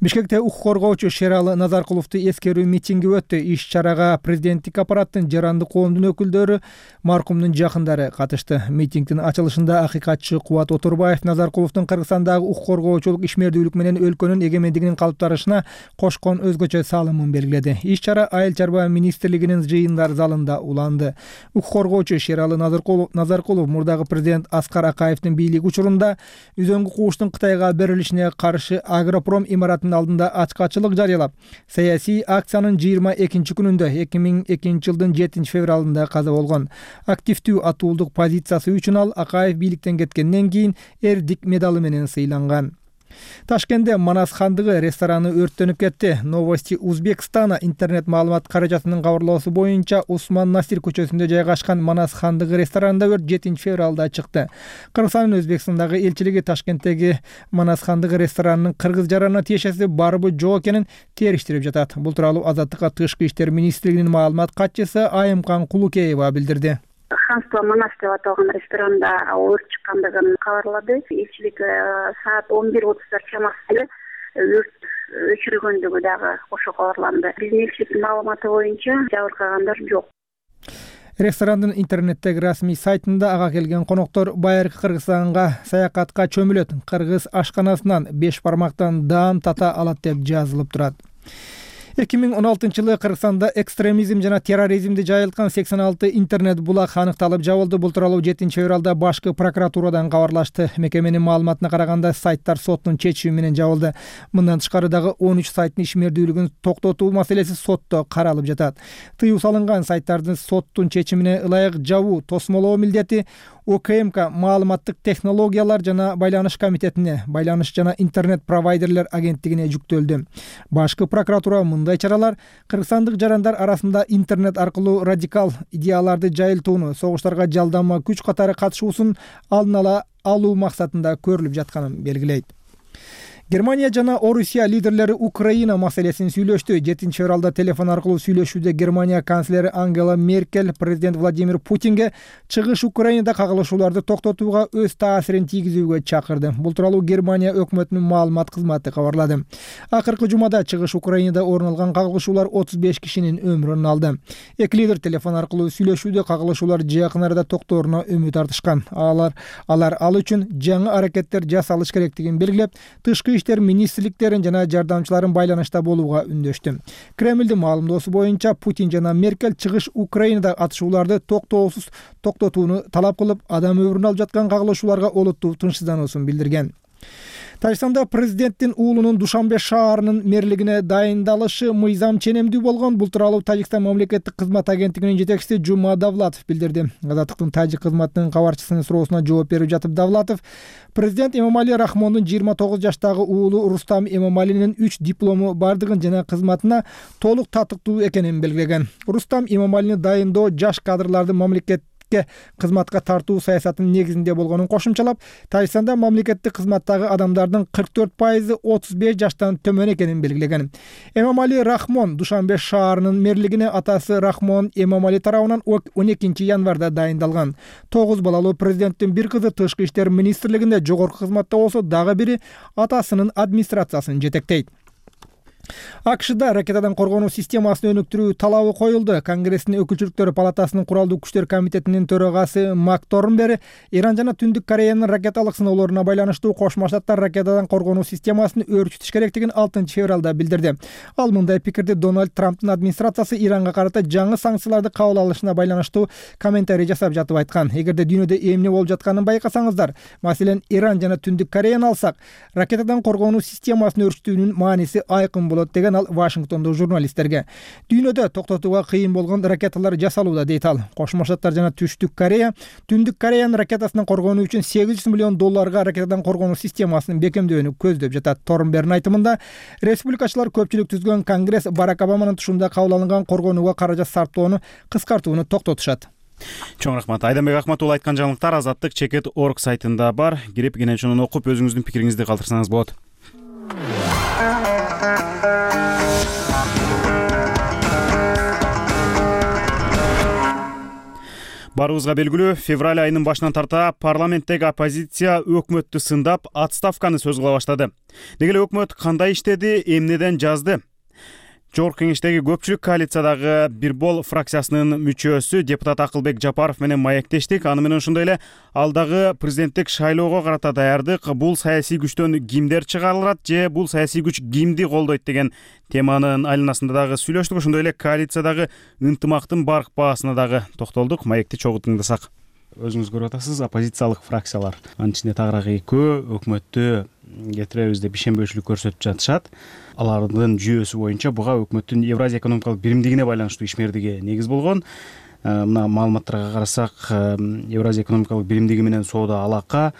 Бишкекте укук коргоочу Шералы Назаркуловду эскерүү митинги өттү. Иш-чарага президенттик аппараттын жарандык коомдун өкүлдөрү, маркумдун жакындары катышты. Митингдин ачылышында акыйкатчы Кубат Отурбаев Назаркуловдун Кыргызстандагы укук коргоочулук ишмердүүлүк менен өлкөнүн эгемендигинин калыптарышына кошкон өзгөчө салымын белгиледи. Иш-чара Айыл чарба министрлигинин жыйындар залында уланды. Укук коргоочу Шералы Назаркулов мурдагы президент Аскар Акаевдин бийлиги учурунда үзөңгү кууштун Кытайга берилишине каршы Агропром имаратынын алдында ачкачылык жарыялап, саясий акциянын 22 күнүндө 2002 жылдын 7 февралында каза болгон. Активдүү атуулдук позициясы үчүн ал Акаев бийликтен кеткенден кийин Эрдик медалы менен сыйланган. Ташкентте Манас хандыгы рестораны өрттөнүп кетти. Новости Узбекстана интернет маалымат каражатынын кабарлоосу боюнча Усман Насир көчөсүндө жайгашкан Манас хандыгы ресторанында өрт 7 февралда чыкты. Кыргызстандын Өзбекстандагы элчилиги Ташкенттеги Манас хандыгы ресторанынын кыргыз жаранына тиешеси барбы жок экенин териштирип жатат. Бул тууралуу Азаттыкка Тышкы иштер министрлигинин маалымат катчысы Айымкан Кулукеева билдирди. Ханство Манас деп аталган ресторанда өрт чыккандыгын кабарлады. Элчилик саат 11:30 чамасында өрт өчүрүлгөндүгү дагы ошо кабарланды. Биздин элчиликтин маалыматы боюнча жабыркагандар жок. Ресторандын интернеттеги расмий сайтында ага келген коноктор байыркы Кыргызстанга саякатка чөмүлөт. Кыргыз ашканасынан 5 бармактан даам тата алат деп жазылып турат. 2016-жылы Кыргызстанда экстремизм жана терроризмди жайылткан 86 интернет булак аныкталып жабылды. Бул тууралуу 7 февралда башкы прокуратурадан кабарлашты. Мекеменин маалыматына караганда сайттар соттун чечими менен жабылды. Мындан тышкары дагы 13 сайттын ишмердүүлүгүн токтотуу маселеси сотто каралып жатат. Тыюу салынган сайттардын соттун чечимине ылайык жабуу, тосмолоо милдети ОКМК маалыматтык технологиялар жана байланыш комитетине, байланыш жана интернет провайдерлер агенттигине жүктөлдү. Башкы прокуратура мындай чаралар кыргызстандык жарандар арасында интернет аркылуу радикал идеяларды жайылтууну, согуштарга жалдама күч катары катышуусун алдын ала алуу максатында көрүлүп жатканын белгилейт. Германия жана Орусия лидерлери Украина маселесин сүйлөштү. 7-февралда телефон аркылуу сүйлөшүүдө Германия канцлери Ангела Меркель президент Владимир Путинге чыгыш Украинада кагылышууларды токтотууга өз таасирин тийгизүүгө чакырды. Бул тууралуу Германия өкмөтүнүн маалымат кызматы кабарлады. Акыркы жумада чыгыш Украинада орун алган кагылышуулар 35 кишинин өмүрүн алды. Эки лидер телефон аркылуу сүйлөшүүдө кагылышуулар жакын арада токтооруна үмүт артышкан. Алар ал үчүн жаңы аракеттер жасалыш керектигин белгилеп, тышкы иштер министрликтерин жана жардамчыларын байланышта болууга үндөштү. Кремлдин маалымдоосу боюнча Путин жана Меркель чыгыш Украинада атышууларды токтоосуз токтотууну талап кылып, адам өмүрүн алып жаткан кагылышууларга олуттуу тынчсыздануусун билдирген. Тажикстанда президенттин уулунун Душанбе шаарынын мэрлигине дайындалышы мыйзам ченемдүү болгон. Бул тууралуу Тажикстан мамлекеттик кызмат агенттигинин жетекчиси Жума Давлатов билдирди. Азаттыктын тажик кызматынын кабарчысынын суроосуна жооп берип жатып Давлатов президент Эмомали Рахмондун 29 жаштагы уулу Рустам Эмомалинин 3 диплому бардыгын жана кызматына толук татыктуу экенин белгилеген. Рустам Эмомалини дайындоо жаш кадрларды мамлекет кызматка тартуу саясатынын негизинде болгонун кошумчалап, Тажикстанда мамлекеттик кызматтагы адамдардын 44% 35 жаштан төмөн экенин белгилеген. Эмомали Рахмон Душанбе шаарынын мэрлигине атасы Рахмон Эмомали тарабынан 12 январда дайындалган. 9 балалуу президенттин бир кызы тышкы иштер министрлигинде жогорку кызматта болсо, дагы бири атасынын администрациясын жетектейт. АКШда ракетадан коргонуу системасын өнүктүрүү талабы коюлду. Конгресстин өкүлчүлүктөр палатасынын куралдуу күчтөр комитетинин төрагасы Мак Торнбери Иран жана Түндүк Кореянын ракеталык сыноолоруна байланыштуу Кошмо Штаттар ракетадан коргонуу системасын өөрчүтүш керектигин 6-февралда билдирди. Ал мындай пикирди Дональд Трамптын администрациясы Иранга карата жаңы санкцияларды кабыл алышына байланыштуу комментарий жасап жатып айткан. Эгерде дүйнөдө эмне болуп жатканын байкасаңыздар, маселен Иран жана Түндүк Кореяны алсак, ракетадан коргонуу системасын өөрчүтүүнүн мааниси айкын болот деген ал Вашингтондо журналисттерге. Дүйнөдө токтотууга кыйын болгон ракеталар жасалууда дейт ал. Кошмо Штаттар жана Түштүк Корея Түндүк Кореянын ракетасынан коргонуу үчүн $800 миллион ракетадан коргонуу системасын бекемдөөнү көздөп жатат. Торнбердин айтымында, республикачылар көпчүлүк түзгөн Конгресс Барак Обаманын тушунда кабыл алынган коргонууга каражат сарптоону кыскартууну токтотушат. Чоң рахмат. Айданбек Ахматулла айткан жаңылыктар Азаттык Чекет.org сайтында бар. Кирип кенен ошону окуп өзүңүздүн пикириңизди калтырсаңыз болот. Барыбызга белгилүү, февраль айынын башынан тарта парламенттеги оппозиция өкмөттү сындап, отставканы сөз кыла баштады. Деги эле өкмөт кандай иштеди, эмнеден жазды? Жогорку кеңештеги көпчүлүк коалициядагы Бир бол фракциясынын мүчөсү депутат Акылбек Жапаров менен маектештик. Аны менен ошондой эле алдагы президенттик шайлоого карата даярдык, бул саясий күчтөн кимдер чыгарылат же бул саясий күч кимди колдойт деген теманын айланасында дагы сүйлөштүк. Ошондой эле коалициядагы ынтымактын барк баасына дагы токтолдук. Маекти чогуу тыңдасак. Өзүңүз көрүп атасыз, оппозициялык фракциялар анын ичинде тагыраагы экөө өкмөттү кетиребиз деп ишенбөөчүлүк көрсөтүп жатышат. Алардын жүйөсү боюнча буга өкмөттүн Евразия экономикалык биримдигине байланыштуу ишмердиги негиз болгон. Мына маалыматтарга карасак, Евразия экономикалык биримдиги менен соода алака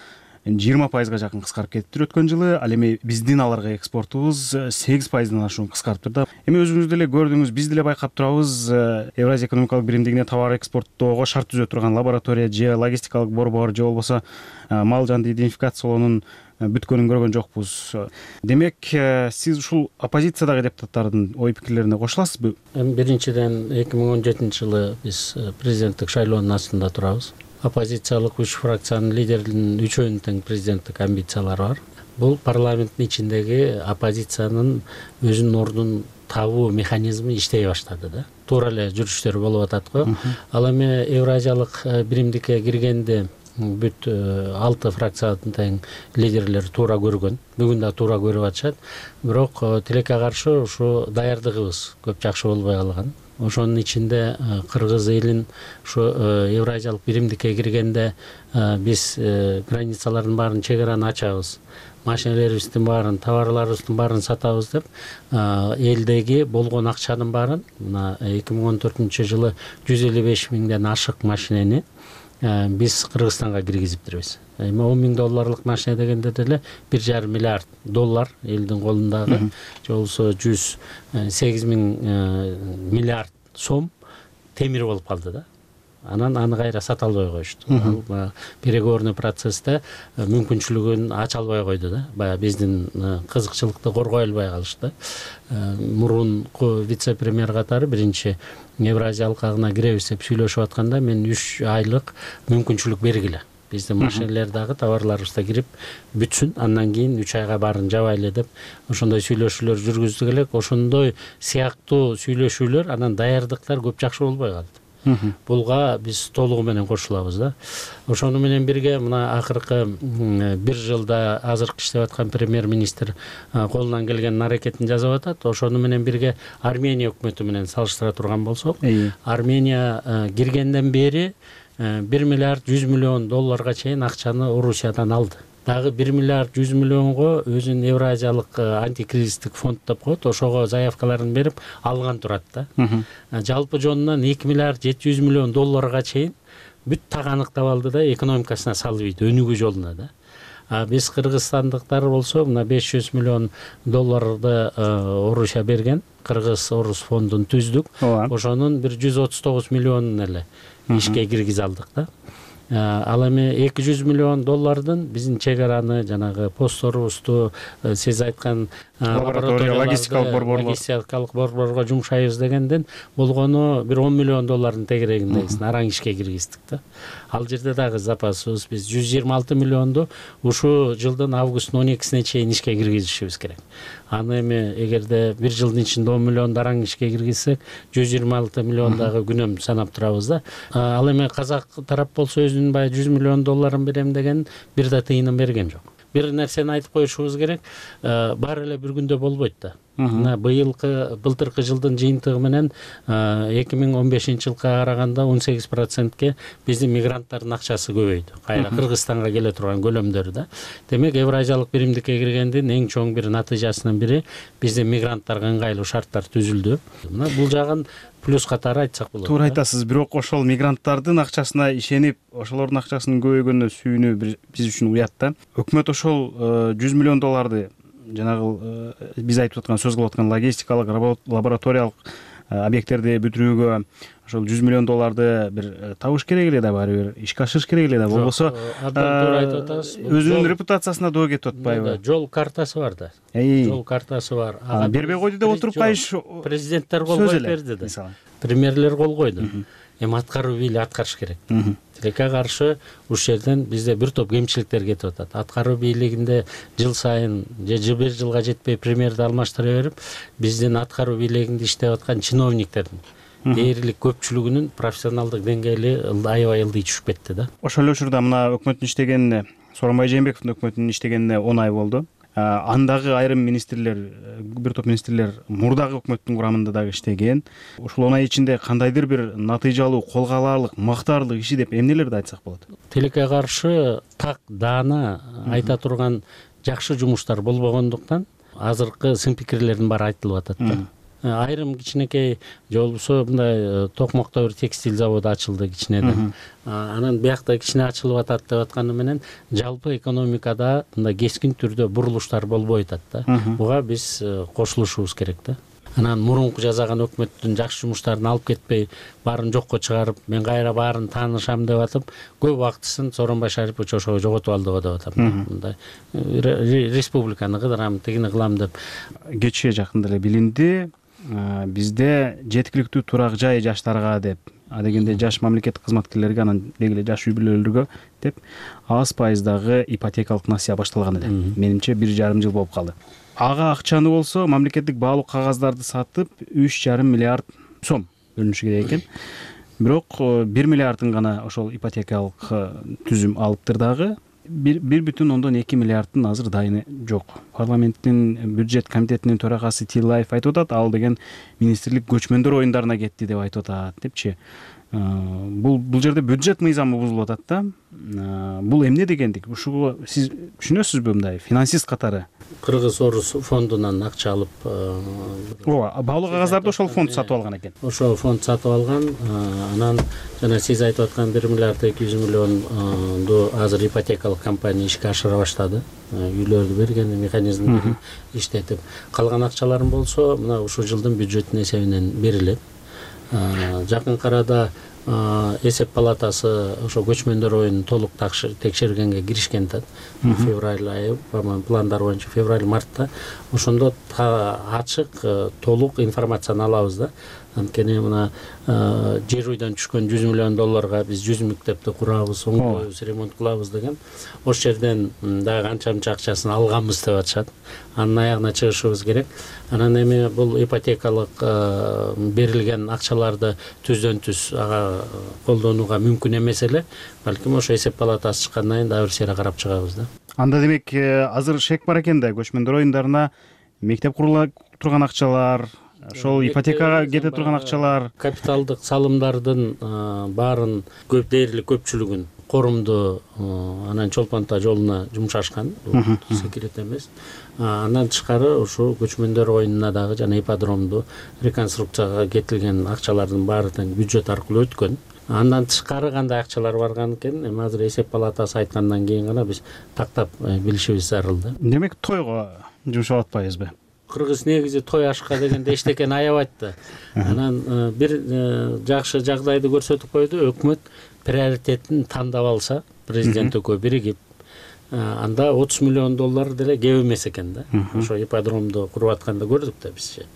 20%га жакын кыскарып кетиптир өткөн жылы. Ал эми биздин аларга экспортубуз 8%дан ашуун кыскарыптыр да. Эми өзүңүз деле көрдүңүз, биз деле байкап турабыз. Евразия экономикалык биримдигине товар экспорттоого шарт түзө турган лаборатория же логистикалык борбор же болбосо мал жанды идентификациялоонун бүткөнүн көргөн жокпуз. Демек, сиз ушул оппозициядагы депутаттардын ой пикирлерине кошуласызбы? Биринчиден 2017 жылы биз президенттик шайлоонун астында турабыз. Оппозициялык 3 фракциянын лидеринин үчөөнүн тең президенттик амбициялары бар. Бул парламенттин ичиндеги оппозициянын өзүнүн ордун табуу механизми иштей баштады да. Туура эле жүрүштөр болуп атат го. Ал эми Евразиялык биримдикке киргенде бүт 6 фракциянын тең лидерлери туура көргөн. Бүгүн да туура көрүп атышат. Бирок тилекке каршы ушу даярдыгыбыз көп жакшы болбой калган. Ошонун ичинде Кыргыз элин ушу Евразиялык биримдикке киргенде биз границалардын баарын, чек-араны ачабыз. Машиналарыбыздын баарын, товарларыбыздын баарын сатабыз деп элдеги болгон акчанын баарын мына 2014 жылы 155 миңден ашык машинени биз Кыргызстанга киргизиптирбиз. Эми $10,000 машина дегенде деле $1,5 миллиард элдин колундагы же болбосо 108 миң миллиард сом темир болуп калды да. анан аны кайра сата албай коюшту. Ал переговорный процессте мүмкүнчүлүгүн ача албай койду да. Баягы биздин кызыкчылыкты коргой албай калышты. Мурунку вице-премьер катары биринчи Евразия алкагына киребиз деп сүйлөшүп атканда мен 3 айлык мүмкүнчүлүк бергиле. Биздин машинелер дагы товарларыбыз да кирип бүтсүн, андан кийин 3 айга баарын жабайлы деп ошондой сүйлөшүүлөр жүргүздүк элек. Ошондой сыяктуу сүйлөшүүлөр анан даярдыктар көп жакшы болбой калды. Булга биз толугу менен кошулабыз да. Ошону менен бирге мына акыркы 1 жылда азыркы иштеп аткан премьер-министр колунан келген аракетин жасап атат. Ошону менен бирге Армения өкмөтү менен салыштыра турган болсок, Армения киргенден бери 1 миллиард 100 миллион долларга чейин акчаны Орусиядан алды. Дагы 1 миллиард 100 миллионго өзүн Евразиялык антикризистик фонд деп коет, ошого заявкаларын берип алган турат да. Жалпы жонунан 2 миллиард 700 миллион долларга чейин бүт таганыктап алды да, экономикасына салып ийди, өнүгүү жолуна да. Биз кыргызстандыктар болсо мына 500 миллион долларды Орусия берген, Кыргыз-Орус фондун түздүк. Ошонун бир 139 миллионун эле ишке киргизе алдык да. Ал эми 200 миллион доллардын биздин чек жанагы постторубузду сиз айткан лаборатория логистикалык борборго жумшайбыз дегенден болгону бир 10 миллион доллардын тегерегиндегисин араң ишке киргиздик да. Ал жерде дагы запасыбыз биз 126 миллионду ушу жылдын августтун 12-сине чейин ишке киргизишибиз керек. Аны эми эгерде 1 жылдын ичинде 10 миллион араң ишке киргизсек 126 миллион дагы күнөм санап турабыз да. Ал эми казак тарап болсо өзүнүн баягы 100 миллион долларын берем деген бир да тыйынын берген жок. Бир нерсени айтып коюшубуз керек, баары эле бир күндө болбойт да. Мына былтыркы жылдын жыйынтыгы менен 2015-жылга караганда 18%ке биздин мигранттардын акчасы көбөйдү. Кайра Кыргызстанга келе турган көлөмдөрү да. Демек Евразиялык биримдикке киргендин эң чоң бир натыйжасынын бири биздин мигранттарга ыңгайлуу шарттар түзүлдү. Мына бул жагын плюс катары айтсак болот. Туура айтасыз, бирок ошол мигранттардын акчасына ишенип, ошолордун акчасынын көбөйгөнүнө сүйүнүү биз үчүн уят да. Өкмөт ошол 100 миллион долларды жанагы биз айтып аткан сөз кылып аткан логистикалык лабораториялык объекттерди бүтүрүүгө ошол 100 миллион долларды бир табыш керек эле да, баары бир ишке ашырыш керек эле да. Болбосо туура айтып атасыз. Өзүнүн репутациясына доо кетип атпайбы? Жол картасы бар да. Жол картасы бар. Бербей койду деп отуруп кайыш президенттер кол коюп берди да. Премьерлер кол койду. Эми аткаруу бийлиги аткарыш керек. Тилекке каршы ушул жерден бизде бир топ кемчиликтер кетип атат. Аткаруу бийлигинде жыл сайын же бир жылга жетпей премьерди алмаштыра берип, биздин аткаруу бийлигинде иштеп аткан чиновниктердин дээрлик көпчүлүгүнүн профессионалдык деңгээли аябай ылдый түшүп кетти да. Ошол эле учурда мына өкмөттүн иштегенине, Сооронбай Жээнбековдун өкмөтүнүн иштегенине 10 ай болду. Андагы айрым министрлер, бир топ министрлер мурдагы өкмөттүн курамында дагы иштеген. Ушул 10 ай ичинде кандайдыр бир натыйжалуу, колго аларлык, мактаарлык иши деп эмнелерди айтсак болот? Тилекке каршы так даана айта турган жакшы жумуштар болбогондуктан азыркы сын пикирлердин баары айтылып атат да. Айрым кичинекей же болбосо мындай Токмокто бир текстиль заводу ачылды кичинеден. Анан биякта кичине ачылып атат деп атканы менен жалпы экономикада мындай кескин түрдө бурулуштар болбой атат да. Буга биз кошулушубуз керек да. Анан мурунку жасаган өкмөттүн жакшы жумуштарын алып кетпей, баарын жокко чыгарып, мен кайра баарын таанышам деп атып, көп убактысын Сооронбай Шарипович ошого жоготуп алды деп атам. Мындай республиканы кыдырам, тигини кылам деп. Кечээ жакында эле билинди, бизде жеткиликтүү турак жай жаштарга деп, адегенде жаш мамлекеттик кызматкерлерге, анан деги эле жаш үй бүлөлөргө деп аз пайыздагы ипотекалык насыя башталган эле. Менимче 1,5 жыл болуп калды. Ага акчаны болсо мамлекеттик баалуу кагаздарды сатып 3,5 миллиард сом бөлүнүшү керек экен. Бирок 1 миллиардын гана ошол ипотекалык түзүм алыптыр дагы. 1,2 миллиардтын азыр дайыны жок. Парламенттин бюджет комитетинин төрагасы Тилаев айтып атат, ал деген министрлик көчмөндөр оюндарына кетти деп айтып атат депчи. Бул жерде бюджет мыйзамы бузулуп атат да. Бул эмне дегендик? Ушуга сиз түшүнөсүзбү мындай финансист катары? Кыргыз-Орус фондунан акча алып, ооба, баалуу кагаздарды ошол фонд сатып алган экен. Ошол фонд сатып алган, анан жана сиз айтып аткан 1 миллиард 200 миллионду азыр ипотекалык компания ишке ашыра баштады. Үйлөрдү берген механизмди иштетип, калган акчаларын болсо мына ушул жылдын бюджеттин эсебинен берилет. Жакын арада эсеп палатасы ошо көчмөндөр оюн толук текшергенге киришкен да. Февраль айы, пландар боюнча февраль-мартта ошондо ачык толук информацияны алабыз да. Анткени мына жер үйдөн түшкөн $100 миллион биз 100 мектепти курабыз, оңдойбуз, ремонт кылабыз деген. Ошол жерден дагы канча акчасын алганбыз деп атышат. Анын аягына чыгышыбыз керек. Анан эми бул ипотекалык берилген акчаларды түздөн-түз ага колдонууга мүмкүн эмес эле. Балким ошо эсеп палатасы чыккандан кийин дагы бир сере карап чыгабыз да. Анда демек азыр шек бар экен да, көчмөндөр оюндарына мектеп курула турган акчалар, ошол ипотекага кете турган акчалар, капиталдык салымдардын баарын дээрлик көпчүлүгүн корумду анан чолпонто жолуна жумшашкан. Секрет эмес. Андан тышкары ушул көчмөндөр оюнуна дагы жана ипподромду реконструкцияга кетилген акчалардын баары тең бюджет аркылуу өткөн. Андан тышкары кандай акчалар барган экен, эми азыр эсеп палатасы айткандан кийин гана биз тактап билишибиз зарыл да. Демек тойго жумшап атпайбызбы? Кыргыз негизи той ашка дегенде эчтекени аябайт да. Анан бир жакшы жагдайды көрсөтүп койду, өкмөт приоритетин тандап алса, президент экөө биригип, анда $30 миллион деле кеп эмес экен да. Ошо ипподромду куруп атканда көрдүк да бизчи.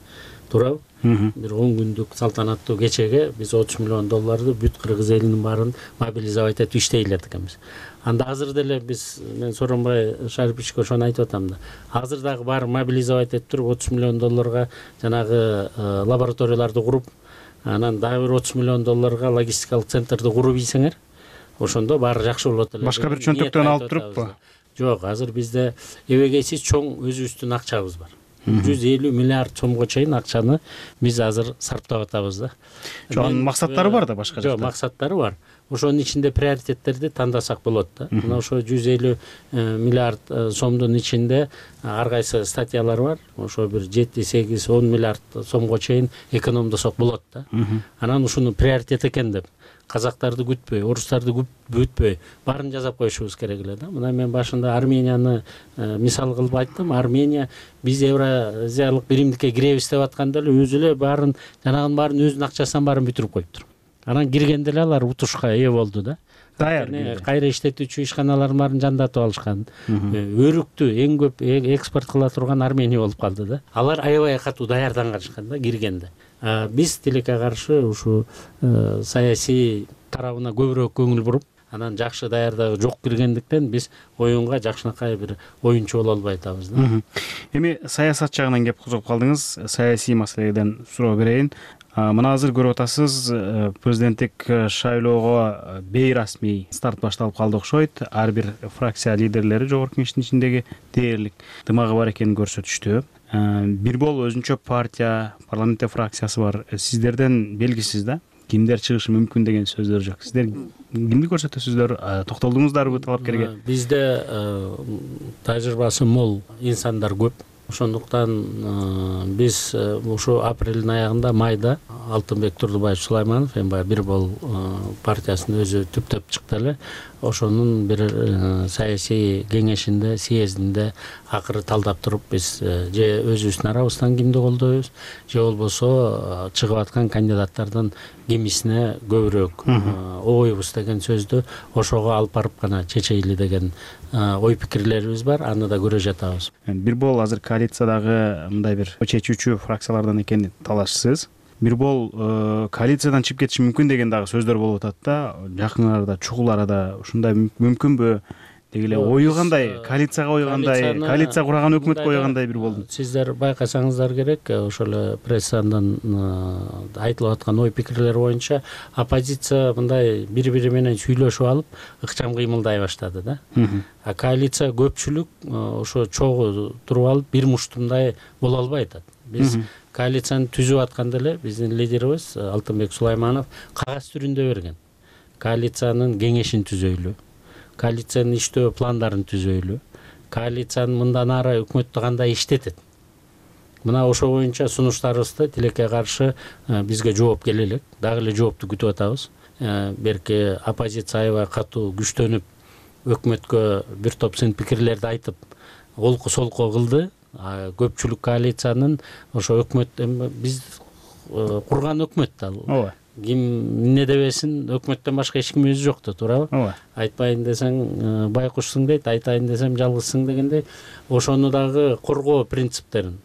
Туурабы? Бир 10 күндүк салтанаттуу кечеге биз $30 миллион бүт кыргыз элинин баарын мобилизовать этип иштей элек экенбиз. Анда азыр деле биз, мен Сооронбай Шариповичке ошону айтып атам да. Азыр дагы баары мобилизовать этип туруп $30 миллион жанагы лабораторияларды куруп, анан дагы бир $30 миллион логистикалык центрди куруп ийсеңер, ошондо баары жакшы болот эле. Башка бир чөнтөктөн алып туруппу? Жок, азыр бизде эбегейсиз чоң өзүбүздүн акчабыз бар. 150 миллиард сомго чейин акчаны биз азыр сарптап атабыз да. Анын максаттары бар да башка жакта? Жок, максаттары бар. Ошонун ичинде приоритеттерди тандасак болот да. Мына ошо 150 миллиард сомдун ичинде ар кайсы статьялар бар. Ошо бир 7, 8, 10 миллиард сомго чейин экономдосок болот да. Анан ушуну приоритет экен деп казактарды күтпөй, орустарды күтпөй, баарын жасап коюшубуз керек эле да. Мына мен башында Арменияны мисал кылып айттым. Армения биз Евразиялык биримдикке киребиз деп атканда эле өзү эле баарын, жанагынын баарын өзүнүн акчасынан баарын бүтүрүп коюптур. Анан киргенде эле алар утушка ээ болду да. Даяр. Кайра иштетүүчү ишканалардын баарын жандатып алышкан. Өрүктү эң көп экспорт кыла турган Армения болуп калды да. Алар аябай катуу даярданышкан да киргенде. Биз тилекке каршы ушу саясий тарабына көбүрөөк көңүл буруп, анан жакшы даярдыгы жок киргендиктен биз оюнга жакшынакай бир оюнчу боло албай атабыз да. Эми саясат жагынан кеп козгоп калдыңыз, саясий маселеден суроо берейин. Мына азыр көрүп атасыз, президенттик шайлоого бейрасмий старт башталып калды окшойт. Ар бир фракция лидерлери жогорку кеңештин ичиндеги дээрлик дымагы бар экенин көрсөтүштү. Бир болуп өзүнчө партия, парламентте фракциясы бар. Сиздерден белгисиз да, кимдер чыгышы мүмкүн деген сөздөр жок. Сиздер кимди көрсөтөсүздөр? Токтолдуңуздарбы талапкерге? Бизде тажрыйбасы мол инсандар көп. Ошондуктан биз ушу апрелдин аягында, майда Алтынбек Турдубаев Сулайманов эми бир бол партиясынын өзү түптөп чыкты эле. Ошонун бир саясий кеңешинде, съездинде акыры талдап туруп биз же өзүбүздүн арабыздан кимди колдойбуз, же болбосо чыгып аткан кандидаттардын кимисине көбүрөөк ойбуз деген сөздү ошого алып барып гана чечейли деген ой пикирлерибиз бар. Аны да көрө жатабыз. Бир бол азыр коалициядагы мындай бир чечүүчү фракциялардан экенин талашсыз. Бир бол коалициядан чыгып кетиши мүмкүн деген дагы сөздөр болуп атат да. Жакын арада, чугул арада ушундай мүмкүнбү? Деги эле ою кандай, коалицияга ою кандай, коалиция курган өкмөткө ою кандай бир болду? Сиздер байкасаңыздар керек, ошол эле прессадан айтылып аткан ой пикирлер боюнча оппозиция мындай бири-бири менен сүйлөшүп алып, ыкчам кыймылдай баштады да. А коалиция көпчүлүк ошо чогуу туруп алып бир муштумдай боло албай атат. Биз коалицияны түзүп атканда эле биздин лидерибиз Алтынбек Сулайманов кагаз түрүндө берген. Коалициянын кеңешин түзөйлү, коалициянын иштөө пландарын түзөйлү, коалициянын мындан ары өкмөттү кандай иштетет. Мына ошо боюнча сунуштарыбызды тилекке каршы бизге жооп келе элек. Дагы эле жоопту күтүп атабыз. Берки оппозиция аябай катуу күчтөнүп, өкмөткө бир топ сын пикирлерди айтып, олку солку кылды. Көпчүлүк коалициянын ошо өкмөт биз курган өкмөт да. ким эмне дебесин, өкмөттөн башка эч ким өзү жок да, туурабы? ооба. Айтпайын десең байкушсуң дейт, айтайын десем жалгызсың дегендей, ошону дагы коргоо принциптерин,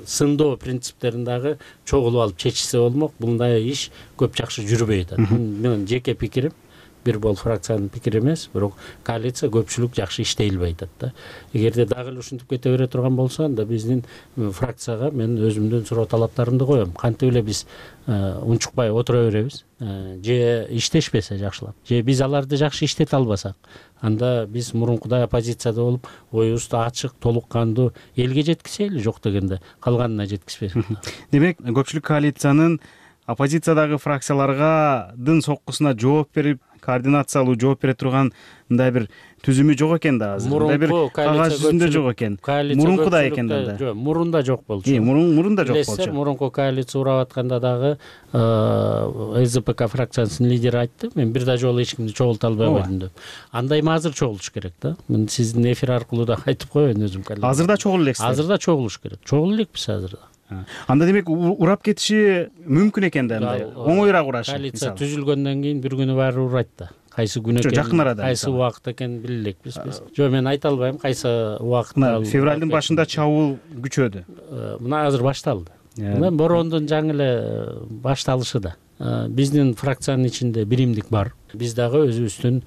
сындоо принциптерин дагы чогулуп алып чечишсе болмок. Мындай иш көп жакшы жүрбөй атат. Менин жеке пикирим, бир бул фракциянын пикири эмес, бирок коалиция көпчүлүк жакшы иштей албай атат да. Эгерде дагы эле ушинтип кете бере турган болсо, анда биздин фракцияга мен өзүмдүн суроо талаптарымды коем. Кантип эле биз унчукпай отура беребиз, же иштешпесе жакшылап, же биз аларды жакшы иштете албасак, анда биз мурункудай оппозицияда болуп, оюбузду ачык, толук кандуу элге жеткизели, жок дегенде калганына жеткизбесек. Демек, көпчүлүк коалициянын оппозициядагы фракцияларга соккусуна жооп берип, координациялуу жооп бере турган мындай бир түзүмү жок экен да азыр. Мындай бир кагаз жүзүндө жок экен. Мурункуда экен да. Жок, мурунда жок болчу. Мурунда жок болчу. Билесиз, мурунку коалиция урап атканда дагы СЗПК фракциясынын лидери айтты, мен бир да жолу эч кимди чогулта албай койдум деп. Андай эми азыр чогулуш керек да. Мен сиздин эфир аркылуу да айтып коеюн өзүм. Азыр да чогулуп элексиз. Азыр да чогулуш керек. Чогулуп элекпиз азыр да. Анда демек урап кетиши мүмкүн экен да, мындай оңоюраак урашы. Коалиция түзүлгөндөн кийин бир күнү баары урайт да. Кайсы күн экен, жакын арада, кайсы убакыт экен биле элекпиз биз. Жок, мен айта албайм кайсы убакытта. Февралдын башында чабуул күчөдү. Мына азыр башталды. Мына бороондун жаңы эле башталышы да. Биздин фракциянын ичинде биримдик бар. Биз дагы өзүбүздүн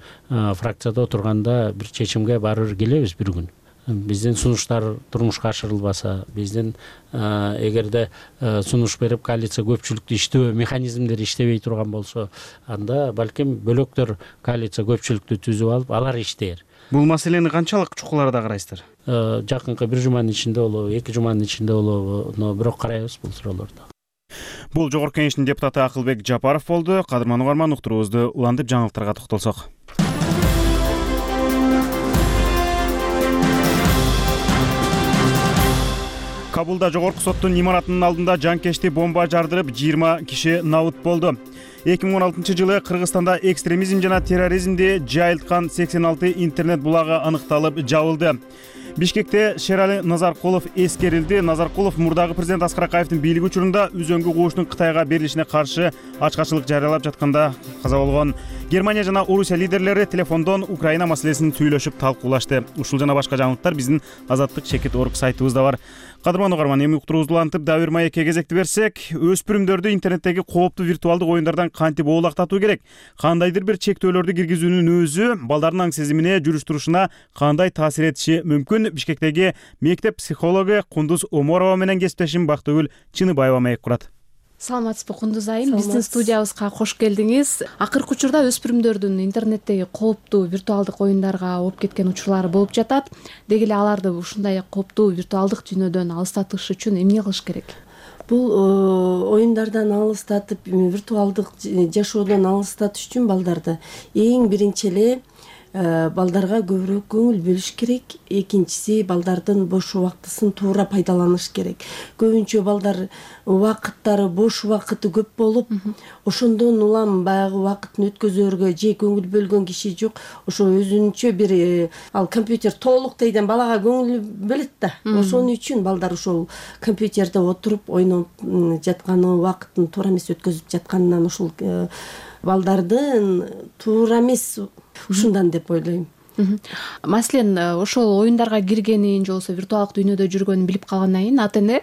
фракцияда отурганда бир чечимге барып келебиз бир күн. Биздин сунуштар турмушка ашырылбаса, биздин эгерде сунуш берип коалиция көпчүлүктү иштөө механизмдери иштебей турган болсо, анда балким бөлөктөр коалиция көпчүлүктү түзүп алып, алар иштейер. Бул маселени канчалык чукуларда карайсыздар? Жакынкы бир жуманын ичинде болобу, 2 жуманын ичинде болобу, бирок карайбыз бул суроолорду. Бул Жогорку Кеңештин депутаты Акылбек Жапаров болду. Кадырман угарман, уктуруубузду улантып жаңылыктарга токтолсок. Кабулда жогорку соттун имаратынын алдында жанкечти бомба жардырып 20 киши набыт болду. 2016-жылы Кыргызстанда экстремизм жана терроризмди жайылткан 86 интернет булагы аныкталып жабылды. Бишкекте Шерали Назаркулов эскерилди. Назаркулов мурдагы президент Аскар Акаевдин бийлиги учурунда үзөңгү кууштун Кытайга берилишине каршы ачкачылык жарыялап жатканда каза болгон. Германия жана Орусия лидерлери телефондон Украина маселесин сүйлөшүп талкуулашты. Ушул жана башка жаңылыктар биздин Азаттык чекит орг сайтыбызда бар. Кадырман угарман, эми уктуруубузду улантып Дабир Маекке кезекти берсек, өспүрүмдөрдү интернеттеги кооптуу виртуалдык оюндардан кантип оолактатуу керек? Кандайдыр бир чектөөлөрдү киргизүүнүн өзү балдардын аң сезимине, жүрүш-турушуна кандай таасир этиши мүмкүн? Бишкектеги мектеп психологу Кундуз Оморова менен кесиптешим Бактыгүл Чыныбаева маек курат. Саламатсызбы Кундуз айым, биздин студиябызга кош келдиңиз. Акыркы учурда өспүрүмдөрдүн интернеттеги кооптуу виртуалдык оюндарга ооп кеткен учурлары болуп жатат. Деги эле аларды ушундай кооптуу виртуалдык дүйнөдөн алыстатыш үчүн эмне кылыш керек? Бул оюндардан алыстатып, виртуалдык жашоодон алыстатыш үчүн балдарды эң биринчи эле балдарга көбүрөөк көңүл бөлүш керек. Экинчиси, балдардын бош убактысын туура пайдаланыш керек. Көбүнчө балдар убакыттары, бош убакыты көп болуп, ошондон улам баягы убакытын өткөзөргө же көңүл бөлгөн киши жок. Ошо өзүнчө бир ал компьютер толук дейден балага көңүл бөлөт да. Ошон үчүн балдар ошол компьютерде отуруп ойноп жатканы, убакытын туура эмес өткөзүп жатканынан ушул балдардын туура эмес ушундан деп ойлойм. Маселен, ошол оюндарга киргенин же болбосо виртуалдык дүйнөдө жүргөнүн билип калгандан кийин ата эне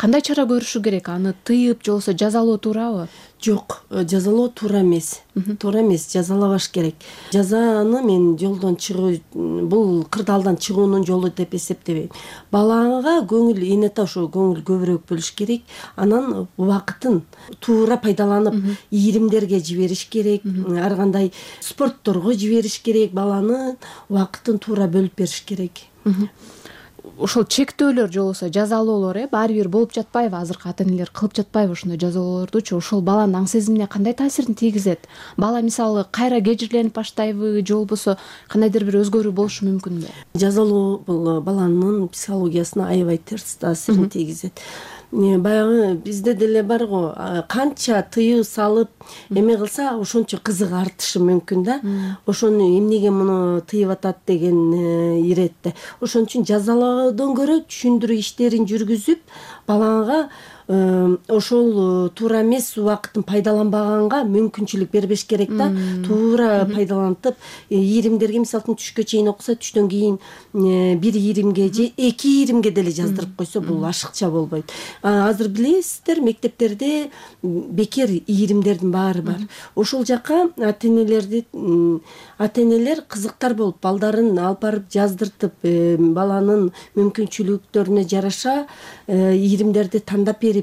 кандай чара көрүшү керек? Аны тыйып же болбосо жазалоо туурабы? Жок, жазалоо туура эмес. Туура эмес, жазалабаш керек. Жазаны мен жолдон чыгуу, бул кырдаалдан чыгуунун жолу деп эсептебейм. Балага көңүл, энете ошо көңүл көбүрөөк бөлүш керек. Анан убакытын туура пайдаланып, ийримдерге жибериш керек, ар кандай спортторго жибериш керек. Баланын убакытын туура бөлүп бериш керек. Ошол чектөөлөр же болбосо жазалоолор баары бир болуп жатпайбы? Азыркы ата энелер кылып жатпайбы ошондой жазалоолордучу? Ошол баланын аң сезимине кандай таасирин тийгизет? Бала мисалы кайра кежирленип баштайбы же болбосо кандайдыр бир өзгөрүү болушу мүмкүнбү? Жазалоо бул баланын психологиясына аябай терс таасирин тийгизет. Баягы бизде деле бар го, канча тыюу салып эме кылса ошончо кызыгы артышы мүмкүн да. Ошону эмнеге муну тыйып атат деген иретте. Ошон үчүн жазалоодон көрө түшүндүрүү иштерин жүргүзүп, балага ошол туура эмес убакытын пайдаланбаганга мүмкүнчүлүк бербеш керек да. Туура пайдалантып, ийримдерге мисалы үчүн түшкө чейин окуса, түштөн кийин 1 ийримге же 2 ийримге деле жаздырып койсо, бул ашыкча болбойт. Азыр билесиздер, мектептерде бекер ийримдердин баары бар. Ошол жака ата-энелер кызыктар болуп, балдарын алып барып жаздыртып, баланын мүмкүнчүлүктөрүнө жараша ийримдерди тандап берип,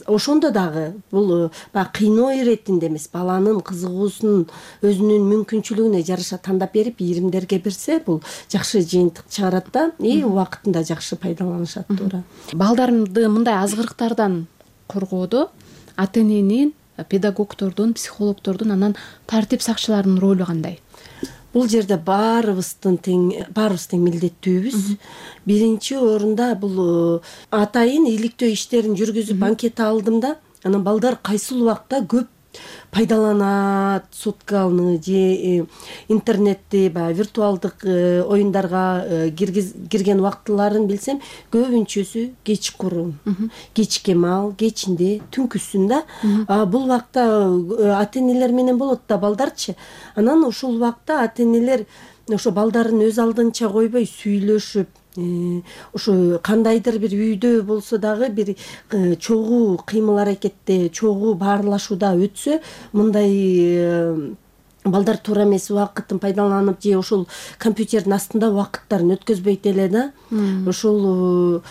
ошондо дагы бул баягы кыйноо иретинде эмес, баланын кызыгуусунун өзүнүн мүмкүнчүлүгүнө жараша тандап берип ийримдерге берсе, бул жакшы жыйынтык чыгарат да, убакытында жакшы пайдаланышат. Туура. Балдарды мындай азгырыктардан коргоодо ата-эненин, педагогдордун, психологдордун, анан тартип сакчыларынын ролу кандай? Бул жерде баарыбыз тең милдеттүүбүз. Биринчи орунда бул атайын иликтөө иштерин жүргүзүп анкета алдым да, анан балдар кайсыл убакта көп пайдаланат соткалны же интернетти, баягы виртуалдык оюндарга кирген убактыларын билсем, көбүнчөсү кечкурун, кечке маал, кечинде, түнкүсүн да. Бул убакта ата-энелер менен болот да балдарчы. Анан ушул убакта ата-энелер ошо балдарын өз алдынча койбой сүйлөшүп, ошо кандайдыр бир үйдө болсо дагы бир чогуу кыймыл аракетте, чогуу баарлашууда өтсө, мындай балдар туура эмес убакытын пайдаланып же ошол компьютердин астында убакыттарын өткөзбөйт эле да. Ошол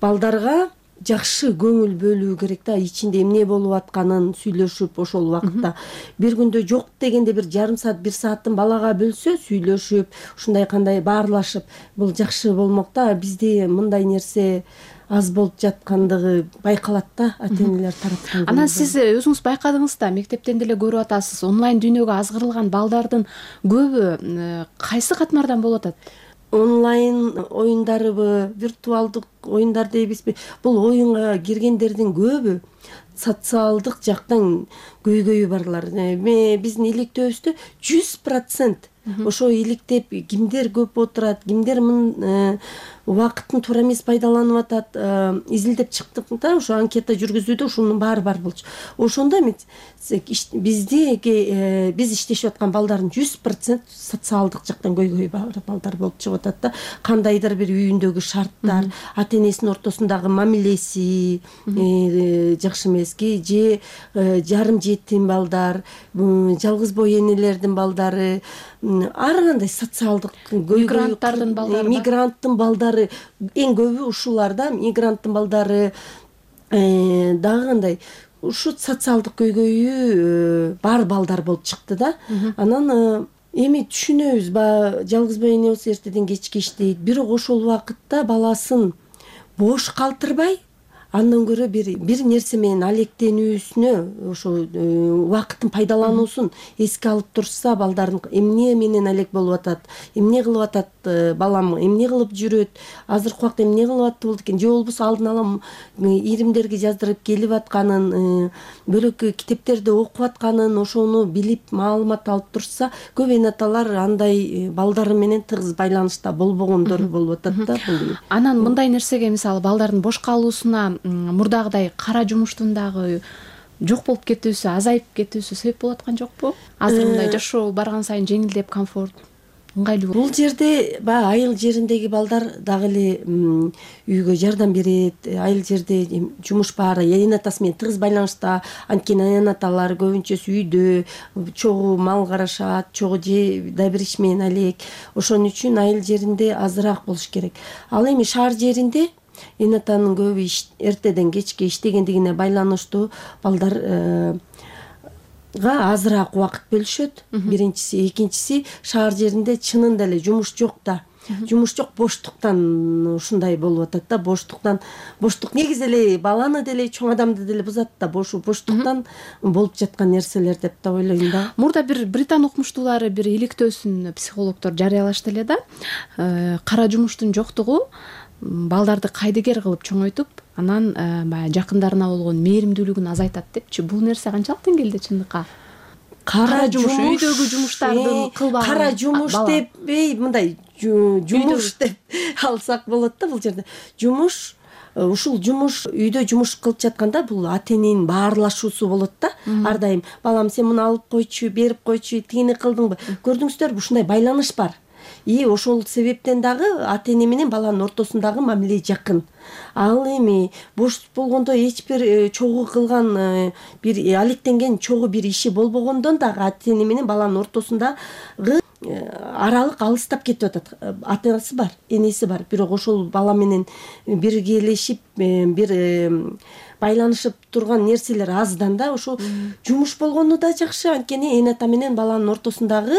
балдарга жакшы көңүл бөлүү керек да, ичинде эмне болуп атканын сүйлөшүп, ошол убакытта бир күндө жок дегенде бир жарым саат, 1 саатын балага бөлсө, сүйлөшүп, ушундай кандай баарлашып, бул жакшы болмок да. Бизде мындай нерсе аз болуп жаткандыгы байкалат да, ата-энелер тараптан. Анан сиз өзүңүз байкадыңыз да, мектептен деле көрүп атасыз, онлайн дүйнөгө азгырылган балдардын көбү кайсы катмардан болуп атат? Онлайн оюндарыбы, виртуалдык оюндар дейбизби? Бул оюнга киргендердин көбү социалдык жактан көйгөйү барлар. Биздин иликтөөбүздө 100% ошо иликтеп кимдер көп отурат, кимдер убакытын туура эмес пайдаланып атат, изилдеп чыктык да, ошо анкета жүргүзүүдө ушунун баары бар болчу. Ошондо биз иштешип аткан балдардын 100% социалдык жактан көйгөйү бар балдар болуп чыгып атат да. Кандайдыр бир үйүндөгү шарттар, ата-энесинин ортосундагы мамилеси жакшы эмески, же жарым жетим балдар, жалгыз бой энелердин балдары, ар кандай социалдык мигранттардын балдары, мигранттын балдары эң көбү ушулар да. Мигранттын балдары дагы кандай ушу социалдык көйгөйү бар балдар болуп чыкты да. Анан эми түшүнөбүз, баягы жалгыз бой эне болсо эртеден кечке иштейт, бирок ошол убакытта баласын бош калтырбай, андан көрө бир нерсе менен алектенүүсүнө, ошо убакытын пайдалануусун эске алып турса, балдардын эмне менен алек болуп атат, эмне кылып атат балам, эмне кылып жүрөт, азыркы убакта эмне кылып атты болду экен, же болбосо алдын ала ийримдерге жаздырып келип атканын, бөлөк китептерди окуп атканын, ошону билип, маалымат алып турса, көп эне аталар андай балдары менен тыгыз байланышта болбогондор болуп атат да. Анан мындай нерсеге, мисалы балдардын бош калуусуна мурдагыдай кара жумуштун дагы жок болуп кетүүсү, азайып кетүүсү себеп болуп аткан жокпу? Азыр мындай жашоо барган сайын жеңилдеп, комфорт, ыңгайлуу. Бул жерде баягы айыл жериндеги балдар дагы эле үйгө жардам берет. Айыл жерде жумуш баары эне атасы менен тыгыз байланышта. Анткени эне аталар көбүнчөсү үйдө чогуу мал карашат, чогуу же да бир иш менен алек. Ошон үчүн айыл жеринде азыраак болуш керек. Ал эми шаар жеринде эне атанын көбү эртеден кечке иштегендигине байланыштуу балдарга азыраак убакыт бөлүшөт. Биринчиси, экинчиси, шаар жеринде чынында эле жумуш жок да. Жумуш жок, боштуктан ушундай болуп атат да. Боштук негизи эле баланы деле, чоң адамды деле бузат да. Боштуктан болуп жаткан нерселер деп да ойлойм да. Мурда бир британ окумуштуулары бир иликтөөсүн психологдор жарыялашты эле да. Кара жумуштун жоктугу балдарды кайдыгер кылып чоңойтуп, анан баягы жакындарына болгон мээримдүүлүгүн азайтат депчи. Бул нерсе канчалык деңгээлде чындыкка? Кара жумуш, үйдөгү жумуштардын кылбаган. Кара жумуш деп, мындай жумуш деп алсак болот да бул жерде. Жумуш ушул жумуш үйдө жумуш кылып жатканда бул ата эненин баарлашуусу болот да. Ар дайым балам сен муну алып койчу, берип койчу, тигини кылдыңбы? Көрдүңүздөрбү, ушундай байланыш бар. И ошол себептен дагы ата эне менен баланын ортосундагы мамиле жакын. Ал эми бош болгондо эч бир чогуу кылган бир алектенген чогуу бир иши болбогондон дагы ата эне менен баланын ортосундагы аралык алыстап кетип атат. Атасы бар, энеси бар, бирок ошол бала менен биргелешип бир байланышып турган нерселер аздан да. Ошол жумуш болгону да жакшы, анткени эне ата менен баланын ортосундагы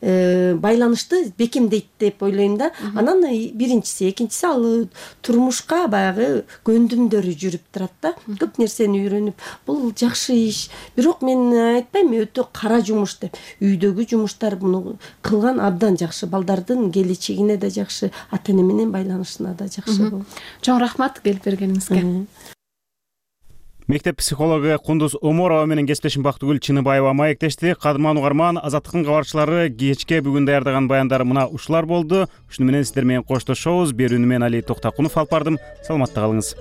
байланышты бекемдейт деп ойлойм да. Анан биринчиси, экинчиси ал турмушка баягы көндүмдөрү жүрүп турат да. Көп нерсени үйрөнүп, бул жакшы иш. Бирок мен айтпайм өтө кара жумуш деп. Үйдөгү жумуштар муну кылган абдан жакшы. Балдардын келечегине да жакшы, ата эне менен байланышына да жакшы болот. Чоң рахмат келип бергениңизге. Мектеп психологу Кундуз Оморова менен кесиптешим Бактыгүл Чыныбаева маектешти. Кадырман угарман, Азаттыктын кабарчылары кечке бүгүн даярдаган баяндары мына ушулар болду. Ушуну менен сиздер менен коштошобуз. Берүүнү мен Али Токтакунов алып бардым. Саламатта калыңыз.